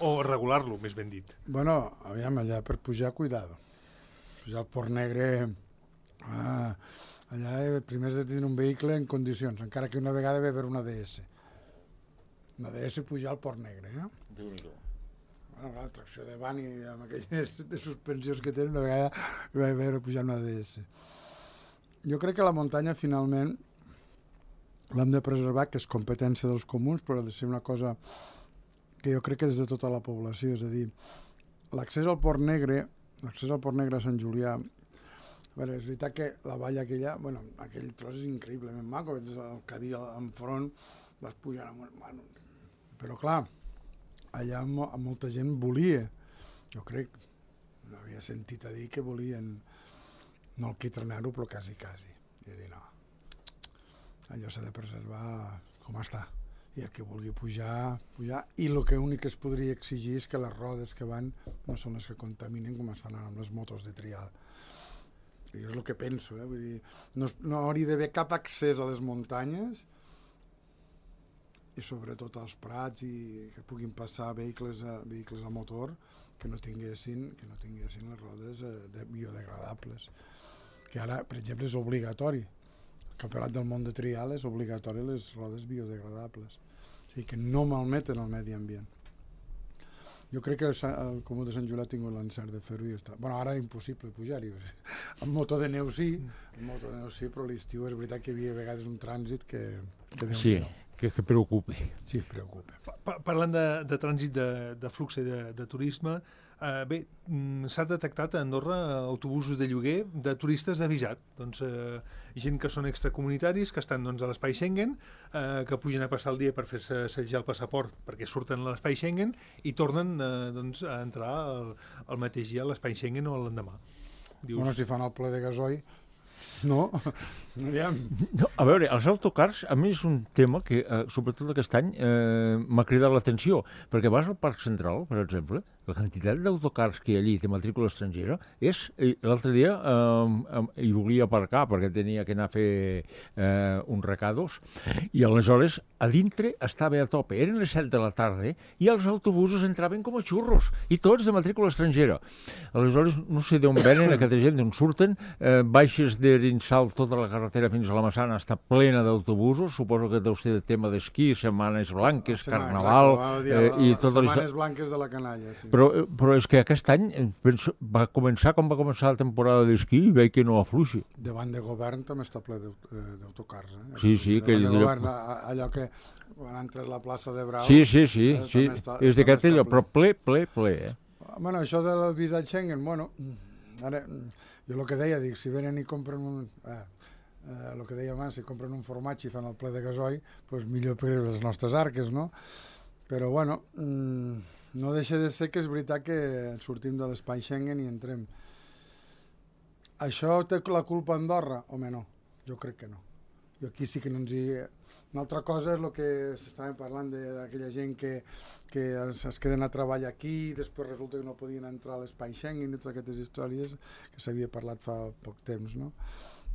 o regular-lo, més ben dit. Bueno, aviam, allà per pujar, cuidado. Pujar al Port Negre, ah, allà primer has de tenir un vehicle en condicions, encara que una vegada va haver una D S. Una D S pujar al Port Negre, eh? Déu-n'hi-do. Bueno, la tracció de van i amb aquelles de suspensions que tenen, una vegada va haver pujar una D S. Jo crec que la muntanya, finalment, l'hem de preservar, que és competència dels comuns, però ha de ser una cosa que jo crec que és de tota la població, és a dir, l'accés al Port Negre, l'accés al Port Negre a Sant Julià, bueno, és veritat que la vall aquella, bueno, aquell tros és increïblement maco, és el Cadí enfront, vas pujant amunt, bueno, però clar, allà mo molta gent volia, jo crec, no havia sentit a dir que volien no el quitrenar-ho, però quasi, quasi. I dir, no, allò s'ha de preservar com està. I el que vulgui pujar, pujar, i el que únic que es podria exigir és que les rodes que van no són les que contaminen com es fan amb les motos de trial. Jo és el que penso, eh? Vull dir, no, no hauria d'haver cap accés a les muntanyes i sobretot als prats i que puguin passar vehicles a, vehicles a motor que no tinguessin, que no tinguessin les rodes eh, de biodegradables. Que ara, per exemple, és obligatori. El Campionat del món de trial és obligatori les rodes biodegradables. O sigui, que no malmeten el medi ambient. Jo crec que el Comú de Sant Julià ha tingut l'encert de fer-ho i està. Bueno, ara és impossible pujar-hi. Amb moto de neu sí, amb moto de neu sí, però l'estiu és veritat que hi havia a vegades un trànsit que... que sí, que, que preocupa. Sí, preocupa. Pa parlant de, de trànsit de, de flux de, de turisme, eh, bé, s'ha detectat a Andorra autobusos de lloguer de turistes avisat. Doncs eh, gent que són extracomunitaris, que estan doncs, a l'espai Schengen, eh, que pugen a passar el dia per fer-se setjar el passaport perquè surten a l'espai Schengen i tornen eh, doncs, a entrar el, el mateix dia a l'espai Schengen o l'endemà. Dius... Bueno, si fan el ple de gasoil... No, no, a veure, els autocars a mi és un tema que, eh, sobretot aquest any, eh, m'ha cridat l'atenció, perquè vas al Parc Central, per exemple, la quantitat d'autocars que hi ha allí de matrícula estrangera és... L'altre dia eh, hi volia aparcar perquè tenia que anar a fer eh, uns recados i aleshores a dintre estava a tope. Eren les set de la tarda i els autobusos entraven com a xurros i tots de matrícula estrangera. Aleshores no sé d'on venen aquesta gent, d'on surten, eh, baixes de Rinsal, tota la carretera fins a la Massana està plena d'autobusos, suposo que deu ser de tema d'esquí, setmanes blanques, carnaval... Eh, i tot setmanes blanques de la canalla, sí. Però, però és que aquest any penso, va començar com va començar la temporada d'esquí i veig que no afluixi. Davant de govern també està ple d'autocars. Eh? Sí, sí. Davant que de govern, allò que quan entres a la plaça de Brau... Sí, sí, sí. Eh, sí. Està, és d'aquest allò, però ple, ple, ple. Eh? Bueno, això de la visa Schengen, bueno, ara, jo el que deia, dic, si venen i compren un... Eh, eh, el que deia abans, si compren un formatge i fan el ple de gasoil, doncs millor per les nostres arques, no? Però, bueno... Mmm, no deixa de ser que és veritat que sortim de l'espai Schengen i entrem. Això té la culpa Andorra? Home, no. Jo crec que no. Jo aquí sí que no ens hi... Una altra cosa és el que s'estàvem parlant d'aquella gent que, que es queden a treballar aquí i després resulta que no podien entrar a l'espai Schengen i totes aquestes històries que s'havia parlat fa poc temps, no?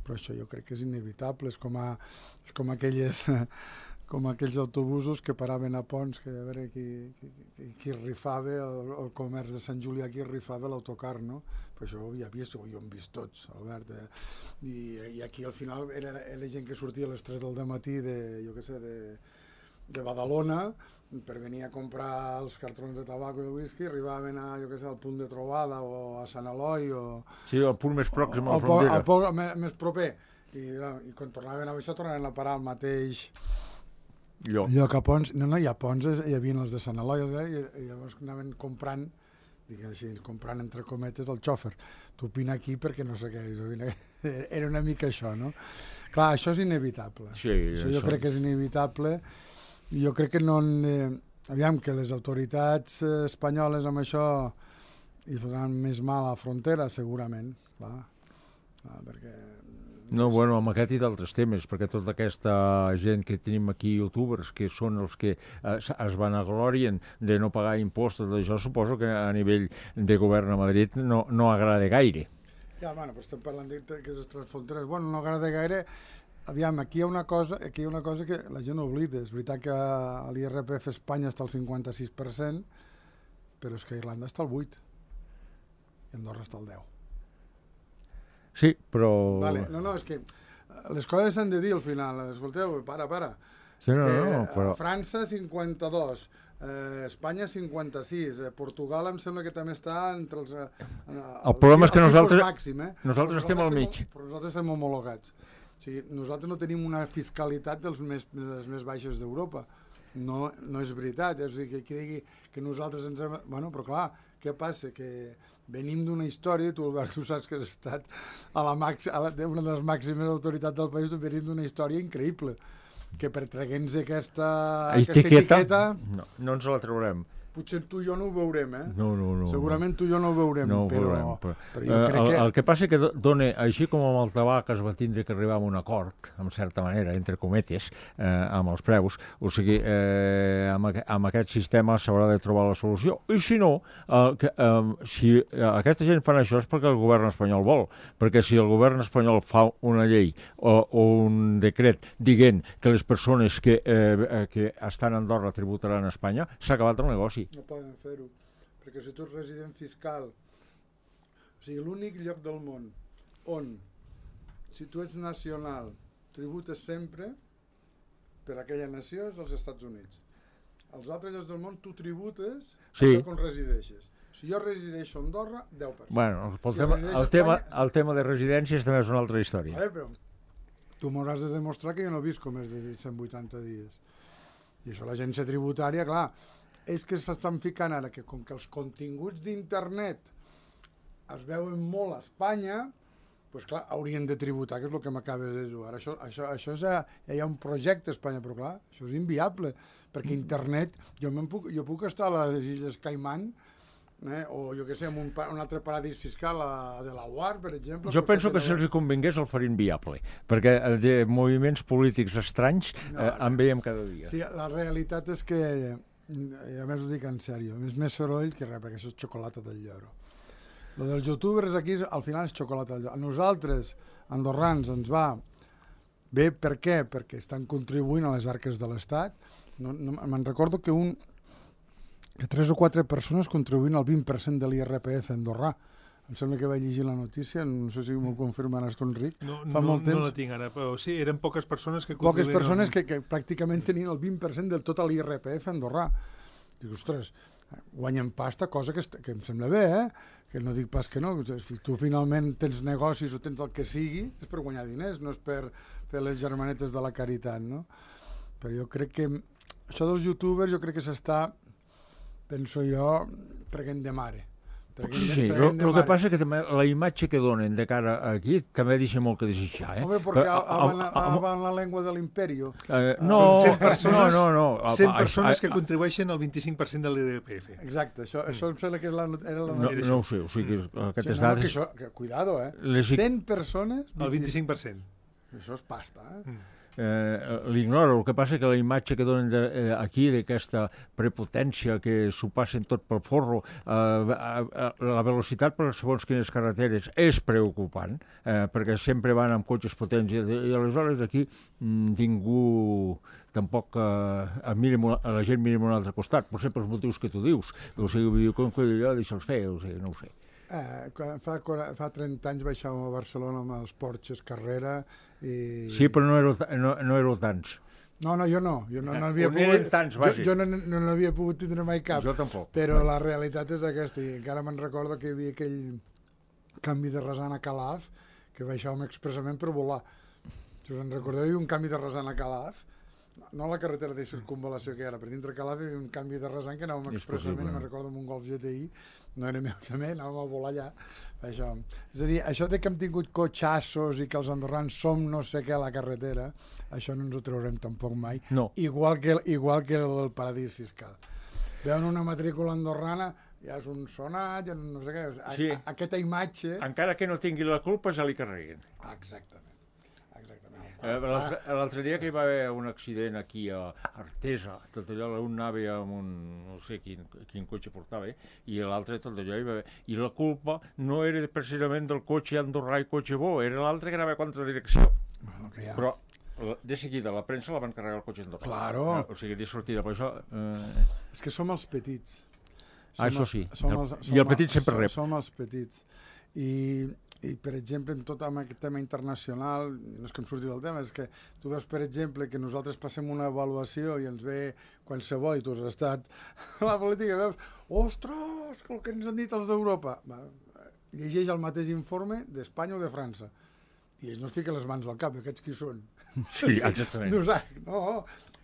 Però això jo crec que és inevitable. És com, a, és com aquelles... com aquells autobusos que paraven a Pons, que a veure qui, qui, qui rifava, el, el comerç de Sant Julià, qui rifava l'autocar, no? Però això ho havia vist, ho hem vist tots, Albert. Eh? I, I aquí al final era, era gent que sortia a les tres del dematí de, jo què sé, de, de Badalona, per venir a comprar els cartrons de tabac i de whisky, arribaven a, jo què sé, al punt de trobada o a Sant Eloi o... Sí, al punt més pròxim a la frontera. Al punt més, més proper. I, I quan tornaven a baixar, tornaven a parar al mateix... Lloc. Lloc a Pons, no, no, hi ha Pons, hi havia els de Sant Eloi, i, i llavors anaven comprant, diguem així, comprant entre cometes el xòfer. Tu opina aquí perquè no sé què, era una mica això, no? Clar, això és inevitable. Sí, això jo crec que és inevitable i jo crec que no... Eh, aviam, que les autoritats espanyoles amb això hi faran més mal a la frontera, segurament, clar, clar perquè... No, bueno, amb aquest i d'altres temes, perquè tota aquesta gent que tenim aquí, youtubers, que són els que eh, es vanaglorien de no pagar impostos, d'això suposo que a nivell de govern a Madrid no, no agrada gaire. Ja, bueno, però estem parlant d'aquestes fronteres. Bueno, no agrada gaire. Aviam, aquí hi ha una cosa, aquí hi ha una cosa que la gent oblida. És veritat que a l'I R P F Espanya està al cinquanta-sis per cent, però és que a Irlanda està al vuit i Andorra està al deu. Sí, però... Vale. No, no, és que les coses s'han de dir al final. Escolteu, para, para. Sí, no, no, no, però... França, cinquanta-dos, eh, Espanya, cinquanta-sis, eh, Portugal em sembla que també està entre els... Eh, el, el problema és que nosaltres, màxim, eh? nosaltres estem al mig. Però nosaltres estem homologats. O sigui, nosaltres no tenim una fiscalitat dels més, dels més baixos d'Europa. No, no és veritat. És a dir, que qui digui que nosaltres ens hem... Bueno, però clar, què passa? Que venim d'una història, tu Albert, tu saps que has estat a la màxima, a la, una de les màximes autoritats del país, venim d'una història increïble, que per treguer-nos aquesta, aquesta etiqueta... No, no ens la traurem. potser tu i jo no ho veurem, eh? No, no, no. Segurament tu i jo no ho veurem, no ho però, veurem, però, però jo crec el, que... El que passa és que dona, així com amb el tabac es va tindre que arribar a un acord, en certa manera, entre cometes, eh, amb els preus, o sigui, eh, amb, amb aquest sistema s'haurà de trobar la solució. I si no, eh, que, eh, si aquesta gent fan això és perquè el govern espanyol vol, perquè si el govern espanyol fa una llei o, o un decret dient que les persones que, eh, que estan a Andorra tributaran a Espanya, s'ha acabat el negoci. No poden fer-ho, perquè si tu ets resident fiscal, o sigui, l'únic lloc del món on, si tu ets nacional, tributes sempre per aquella nació és els Estats Units. Als altres llocs del món tu tributes sí. al lloc on resideixes. Si jo resideixo a Andorra, deu per cent. Bueno, el, si tema, el, tema, Espanya... el tema de residències també és una altra història. Vale, però tu m'hauràs de demostrar que jo no visc com més de cent vuitanta dies. I això l'agència tributària, clar, és que s'estan ficant ara que com que els continguts d'internet es veuen molt a Espanya, doncs clar, haurien de tributar, que és el que m'acabes de dir. Ara això, això, això és, ja hi ha un projecte a Espanya, però clar, això és inviable, perquè internet, jo, puc, jo puc estar a les Illes Caimán, eh, o jo què sé, en un, un altre paradís fiscal a Delaware, per exemple. Jo penso que si els convingués el farien viable, perquè de moviments polítics estranys no, eh, en veiem cada dia. Sí, la realitat és que, i a més ho dic en sèrio, és més soroll que res, perquè això és xocolata del lloro. Lo dels youtubers aquí, al final, és xocolata del lloro. A nosaltres, andorrans, ens va bé, per què? Perquè estan contribuint a les arques de l'Estat. No, no, me'n recordo que un que tres o quatre persones contribuint al vint per cent de l'I R P F andorrà. Em sembla que vaig llegir la notícia, no sé si m'ho confirmaràs tu, Enric. No, Fa no, molt temps. no la tinc ara, però sí, eren poques persones que... Poques persones que, que pràcticament tenien el vint per cent del tot l'I R P F andorrà. Dic, ostres, guanyen pasta, cosa que, que em sembla bé, eh? Que no dic pas que no. Si tu finalment tens negocis o tens el que sigui, és per guanyar diners, no és per fer les germanetes de la caritat, no? Però jo crec que això dels youtubers, jo crec que s'està, penso jo, traguent de mare. Sí, el que passa és que també la imatge que donen de cara aquí també deixa molt que desitjar. Eh? Home, perquè van la llengua de l'imperi. Eh, no, no, no, no. cent persones que contribueixen el vint-i-cinc per cent de l'I R P F. Exacte, això, això em sembla que era la, era la no, no ho sé, o sigui, aquestes sí, no, dades... Que això, que, cuidado, eh? cent persones... El vint-i-cinc per cent. Això és pasta, eh? Mm. Eh, l'ignoro, el que passa que la imatge que donen de, eh, aquí d'aquesta prepotència que s'ho passen tot pel forro, eh, eh, la velocitat per segons quines carreteres és preocupant, eh, perquè sempre van amb cotxes potents i, i aleshores aquí mm, ningú tampoc eh, a, a la gent mira a un altre costat, potser pels motius que tu dius, o sigui, com que jo deixa'ls fer, o sigui, no ho sé. Eh, fa, fa trenta anys baixàvem a Barcelona amb els Porches Carrera i... Sí, però no éreu, no, no éreu tants. No, no, jo no. Jo no, no havia On pogut... tants, jo, jo no, no n'havia pogut tindre mai cap. Jo tampoc. Però la realitat és aquesta, i encara me'n recordo que hi havia aquell canvi de rasant a Calaf, que baixàvem expressament per volar. Si us en recordeu, hi havia un canvi de rasant a Calaf, no la carretera de circunvalació que era, per dintre Calaf hi havia un canvi de rasant que anàvem expressament, me'n recordo amb un Golf G T I, no era meu també, anàvem a volar allà. Això. És a dir, això de que hem tingut cotxassos i que els andorrans som no sé què a la carretera, això no ens ho traurem tampoc mai, no. igual, que, igual que el paradís fiscal. Veuen una matrícula andorrana, ja és un sonat, ja no sé què, a, sí. a, aquesta imatge... Encara que no tingui la culpa, ja li carreguen. Exactament. Eh, L'altre dia que hi va haver un accident aquí a Artesa, tot allò, un anava amb un, no sé quin, quin cotxe portava, eh? I l'altre tot allò hi va haver. I la culpa no era precisament del cotxe andorrà i cotxe bo, era l'altre que anava a contra-direcció. Bueno, okay, ja. Però de seguida la premsa la van carregar el cotxe andorrà. Claro. O sigui, de sortida, per això... Eh... És que som els petits. Som ah, això sí. Som els, som I el petit sempre rep. Som els petits. I... I, per exemple, en tot amb aquest tema internacional, no és que em surti del tema, és que tu veus, per exemple, que nosaltres passem una avaluació i ens ve qualsevol, i tu has estat a la política, i veus, ostres, el que ens han dit els d'Europa. Llegeix el mateix informe d'Espanya o de França. I ells no es fiquen les mans al cap, aquests qui són? Sí, exactament. No,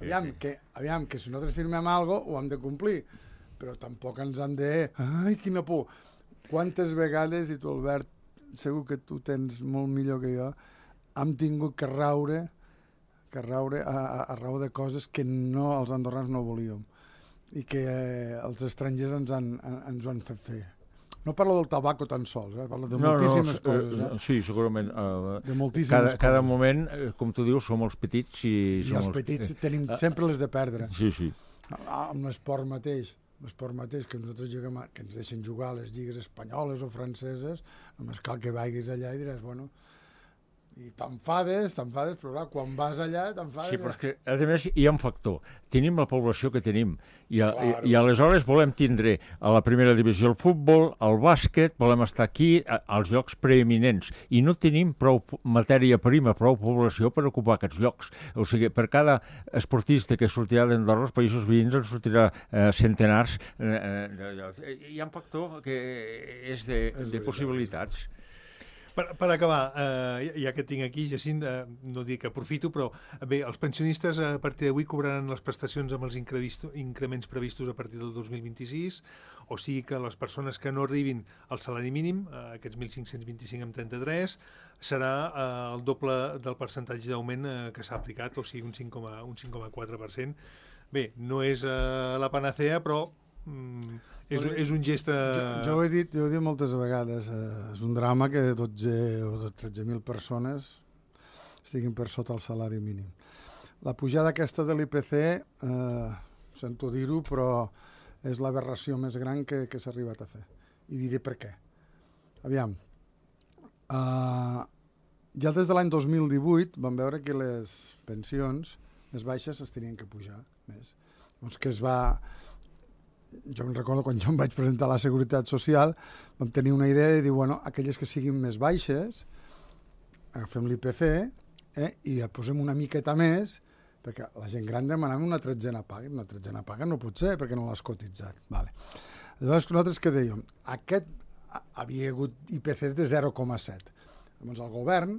aviam, que, aviam, que si nosaltres firmem alguna cosa, ho hem de complir, però tampoc ens han de... Ai, quina por! Quantes vegades, i tu, Albert, segur que tu tens molt millor que jo, hem tingut que raure, que raure a, a, a raó de coses que no els andorrans no volíem. i que eh, els estrangers ens, han, ens ho han fet fer. No parlo del tabaco tan sols, eh? Parlo de no, moltíssimes no, coses. Eh? Sí, segurament. Uh, de moltíssimes cada, coses. cada moment, com tu dius, som els petits i... I som els petits tenim sempre les de perdre. Sí, sí. Amb l'esport mateix, l'esport mateix que nosaltres juguem, que ens deixen jugar a les lligues espanyoles o franceses, només cal que vagis allà i diràs, bueno... I t'enfades, t'enfades, però clar, quan vas allà t'enfades... Sí, però és que, a més, hi ha un factor. Tenim la població que tenim i, a, claro. i, i aleshores volem tindre a la primera divisió el futbol, el bàsquet, volem estar aquí a, als llocs preeminents i no tenim prou matèria prima, prou població per ocupar aquests llocs. O sigui, per cada esportista que sortirà d'Andorra, els països veïns en sortirà eh, centenars. Eh, eh, hi ha un factor que és de, és de possibilitats. Per, per acabar, eh, ja que et tinc aquí, Jacint, eh, no dic que aprofito, però bé, els pensionistes a partir d'avui cobraran les prestacions amb els increments previstos a partir del dos mil vint-i-sis, o sigui que les persones que no arribin al salari mínim, eh, aquests mil cinc-cents vint-i-cinc amb trenta-tres, serà eh, el doble del percentatge d'augment eh, que s'ha aplicat, o sigui un cinc coma quatre per cent. Bé, no és eh, la panacea, però Mm, és, és un gest... Jo, jo ho he dit, jo ho he dit moltes vegades, eh, és un drama que dotze o tretze mil persones estiguin per sota el salari mínim. La pujada aquesta de l'I P C, eh, sento dir-ho, però és l'aberració més gran que, que s'ha arribat a fer. I diré per què. Aviam, eh, ja des de l'any dos mil divuit vam veure que les pensions més baixes es tenien que pujar més. Doncs que es va... Jo em recordo quan jo em vaig presentar a la Seguretat Social, vam tenir una idea de dir, bueno, aquelles que siguin més baixes, agafem l'I P C eh, i posem una miqueta més, perquè la gent gran demanava una tretzena paga. Una tretzena paga no pot ser, perquè no l'has cotitzat. Vale. Llavors, nosaltres què dèiem? Aquest havia hagut I P Cs de zero coma set. Llavors, el govern,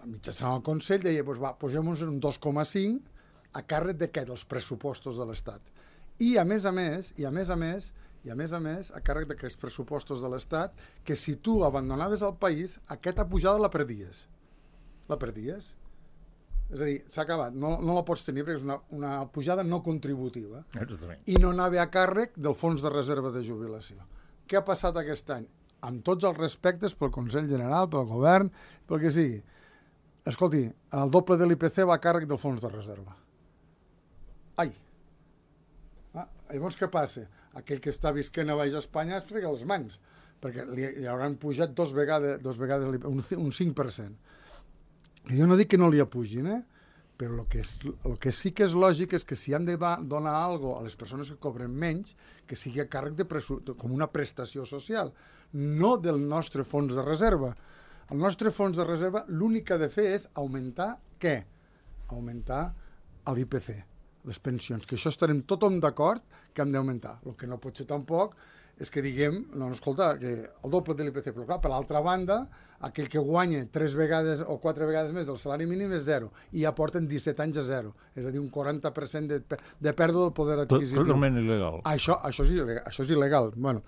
mitjançant el Consell, deia, pues va, posem-nos un dos coma cinc a càrrec de què? Dels pressupostos de l'Estat. I a més a més, i a més a més, i a més a més, a càrrec d'aquests pressupostos de l'Estat, que si tu abandonaves el país, aquesta pujada la perdies. La perdies. És a dir, s'ha acabat, no, no la pots tenir perquè és una, una pujada no contributiva. I no anava a càrrec del fons de reserva de jubilació. Què ha passat aquest any? Amb tots els respectes pel Consell General, pel govern, pel que sigui. Escolti, el doble de l'I P C va a càrrec del fons de reserva. Ai! Ah, llavors què passa? Aquell que està visquent a Baix Espanya es frega les mans, perquè li, li hauran pujat dos vegades, dos vegades un, un cinc per cent. I jo no dic que no li apugin, eh? Però el que, és, el que sí que és lògic és que si han de da, donar alguna cosa a les persones que cobren menys, que sigui a càrrec de, presu, de com una prestació social, no del nostre fons de reserva. El nostre fons de reserva l'únic que ha de fer és augmentar què? Augmentar l'I P C. Les pensions, que això estarem tothom d'acord que hem d'augmentar. El que no pot ser tampoc és que diguem, no, escolta, que el doble de l'I P C, però clar, per l'altra banda, aquell que guanya tres vegades o quatre vegades més del salari mínim és zero, i ja porten disset anys a zero, és a dir, un quaranta per cent de, de pèrdua del poder adquisitiu. Totalment il·legal. Això, això, és il·legal, això és il·legal. Bueno,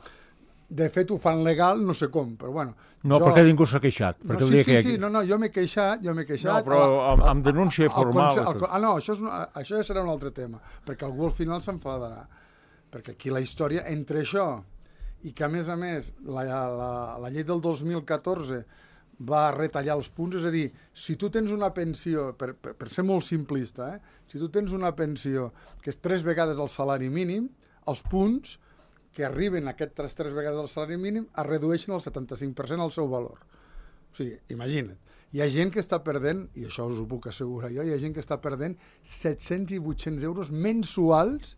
de fet, ho fan legal, no sé com, però bueno... No, jo... perquè ningú s'ha queixat. No, sí, sí, sí, no, no, jo m'he queixat, jo m'he queixat... No, però amb, amb denúncia formal... El, el, el, ah, no, això, és una, això ja serà un altre tema, perquè algú al final s'enfadarà. Perquè aquí la història, entre això i que, a més a més, la, la, la llei del dos mil catorze va retallar els punts, és a dir, si tu tens una pensió, per, per, per ser molt simplista, eh, si tu tens una pensió que és tres vegades el salari mínim, els punts que arriben a aquestes tres vegades el salari mínim es redueixen el setanta-cinc per cent al seu valor. O sigui, imagina't. Hi ha gent que està perdent, i això us ho puc assegurar jo, hi ha gent que està perdent set-cents i vuit-cents euros mensuals,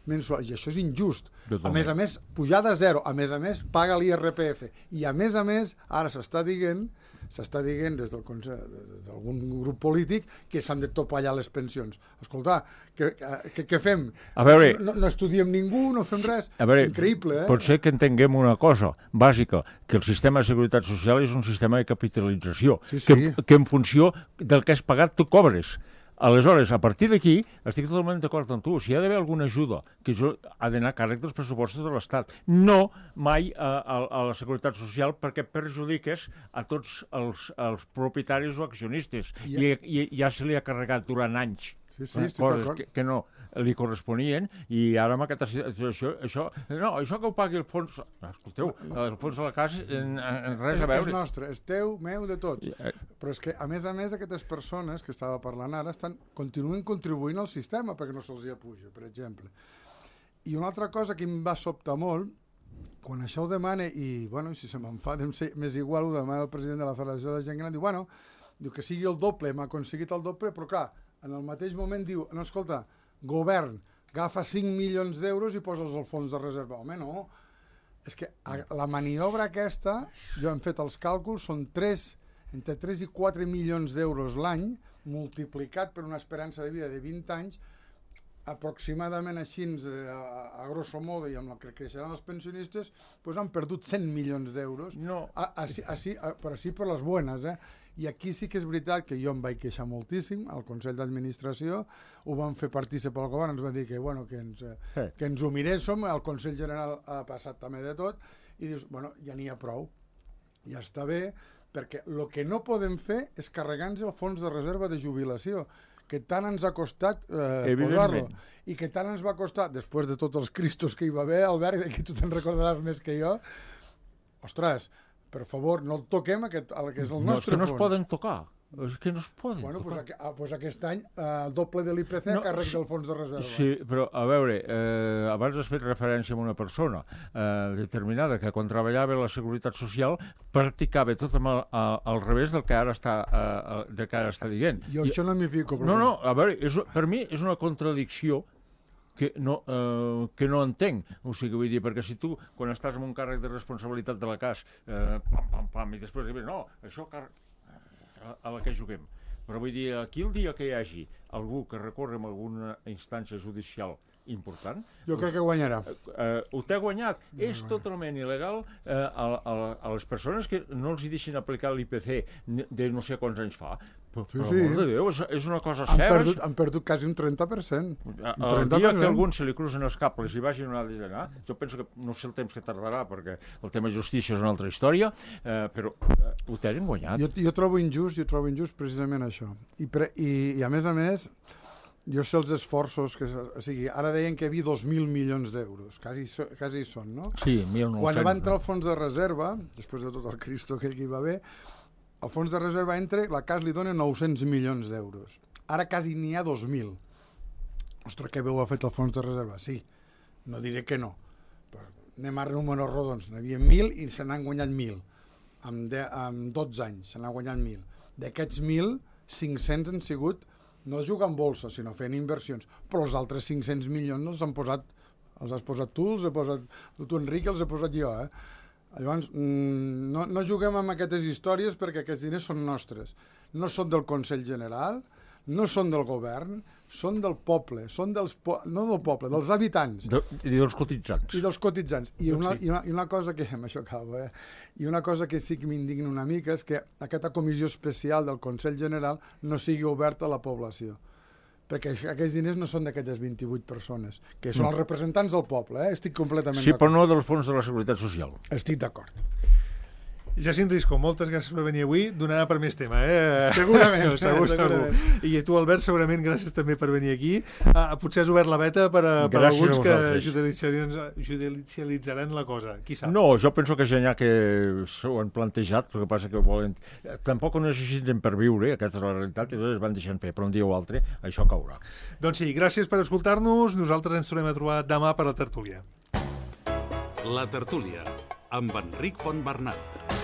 mensuals, i això és injust. A més a més, pujada a zero, a més a més, paga l'I R P F, i a més a més, ara s'està dient, s'està dient des del d'algun grup polític que s'han de topallar les pensions. Escolta, què, què, què fem? A veure, no, no estudiem ningú, no fem res? A veure, increïble, eh? Potser que entenguem una cosa bàsica, que el sistema de seguretat social és un sistema de capitalització, sí, sí. Que, que en funció del que has pagat tu cobres. Aleshores, a partir d'aquí, estic totalment d'acord amb tu. Si hi ha d'haver alguna ajuda, que això ha d'anar a càrrec dels pressupostos de l'Estat. No mai a, a, a la Seguretat Social, perquè perjudiques a tots els, els propietaris o accionistes. I, i, i ja se li ha carregat durant anys. Sí, sí, estic coses d'acord. que, que no li corresponien, i ara amb aquesta situació, això, no, això que ho pagui el fons, escolteu, el fons de la casa, en, en res És, a veure. és nostre, és teu, meu, de tots. Però és que, a més a més, aquestes persones que estava parlant ara estan, continuen contribuint al sistema perquè no se'ls hi apuja, per exemple. I una altra cosa que em va sobtar molt, quan això ho demana, i, bueno, si se m'enfada, m'és igual, ho demana el president de la Federació de la Gent Gran, diu, bueno, diu que sigui el doble, m'ha aconseguit el doble, però clar, en el mateix moment diu, no, escolta, govern, agafa cinc milions d'euros i posa'ls al fons de reserva. Home, no. És que la maniobra aquesta, jo hem fet els càlculs, són tres, entre tres i quatre milions d'euros l'any, multiplicat per una esperança de vida de vint anys, aproximadament així, a, a grosso modo, i amb el que creixeran els pensionistes, doncs han perdut cent milions d'euros, no. així, així, però així per les bones, eh? I aquí sí que és veritat que jo em vaig queixar moltíssim, al Consell d'Administració, ho van fer partícip al govern, ens van dir que, bueno, que, ens, eh. que ens ho miréssim, el Consell General ha passat també de tot, i dius, bueno, ja n'hi ha prou, ja està bé, perquè el que no podem fer és carregar-nos el fons de reserva de jubilació, que tant ens ha costat eh, posar-lo, i que tant ens va costar, després de tots els cristos que hi va haver, Albert, que tu te'n recordaràs més que jo, ostres, per favor, no el toquem, aquest, el que és el no, nostre fons. No, és que no fons. es poden tocar. És que no es poden bueno, tocar. Doncs, a, pues aquest any eh, el doble de l'I P C no, a càrrec sí, del fons de reserva. Sí, però a veure, eh, abans has fet referència a una persona eh, determinada que quan treballava a la Seguretat Social practicava tot amb el, a, al revés del que ara està, eh, del que ara està dient. Jo I, això no m'hi fico. No, no, a veure, és, per mi és una contradicció que no, eh, que no entenc. O sigui, vull dir, perquè si tu, quan estàs en un càrrec de responsabilitat de la cas, eh, pam, pam, pam, i després dius, no, això càrrec a, a la que juguem. Però vull dir, aquí el dia que hi hagi algú que recorre en alguna instància judicial important... Jo crec que guanyarà. Eh, ho té guanyat. No, és totalment il·legal eh, a, a, a les persones que no els hi deixin aplicar l'I P C de no sé quants anys fa. Però, sí, per sí. amor de Déu, és, és una cosa han seva. Perdut, han perdut quasi un trenta per cent. Un trenta per cent. El dia que algú se li cruzen els cables i vagin on ha d'anar, jo penso que no sé el temps que tardarà, perquè el tema justícia és una altra història, eh, però eh, ho tenen guanyat. Jo, jo trobo injust, jo trobo injust precisament això. I, pre, i, i a més a més, jo sé els esforços que... O sigui, ara deien que hi havia dos mil milions d'euros, quasi, quasi hi són, no? Sí, mil nou-cents. Quan va entrar el fons de reserva, després de tot el cristo aquell que hi va haver, el fons de reserva entra, la C A S li dona nou-cents milions d'euros. Ara quasi n'hi ha dos mil. Ostres, que bé ho ha fet el fons de reserva? Sí, no diré que no. Però anem a números rodons. N'hi havia mil i se n'han guanyat mil. En, de, en dotze anys se n'han guanyat mil. D'aquests mil, cinc-cents han sigut, no jugar en bolsa, sinó fent inversions. Però els altres cinc-cents milions els han posat, els has posat tu, els he posat tu, Enric, els he posat jo, eh? Llavors, no, no juguem amb aquestes històries perquè aquests diners són nostres. No són del Consell General, no són del govern, són del poble, són dels po no del poble, dels habitants. De, I dels cotitzants. I dels cotitzants. I una, i una, i una cosa que, amb això acabo, eh? I una cosa que sí que m'indigna una mica és que aquesta comissió especial del Consell General no sigui oberta a la població. Perquè aquests diners no són d'aquestes vint-i-vuit persones, que són els representants del poble, eh? Estic completament sí, d'acord. però no del Fons de la Seguretat Social. Estic d'acord. Jacint Risco, moltes gràcies per venir avui. Donarà per més tema, eh? Segurament. segur, segurament. segur. I a tu, Albert, segurament gràcies també per venir aquí. Ah, potser has obert la veta per, a, per alguns que judicialitzaran, judicialitzaran la cosa. Qui sap? No, jo penso que ja n'hi ha que s'ho han plantejat, el que passa que volen... Tampoc ho necessiten per viure, aquesta és la realitat, i llavors van deixant fer, però un dia o altre això caurà. Doncs sí, gràcies per escoltar-nos. Nosaltres ens tornem a trobar demà per la tertúlia. La tertúlia, amb Enric Fontbernat.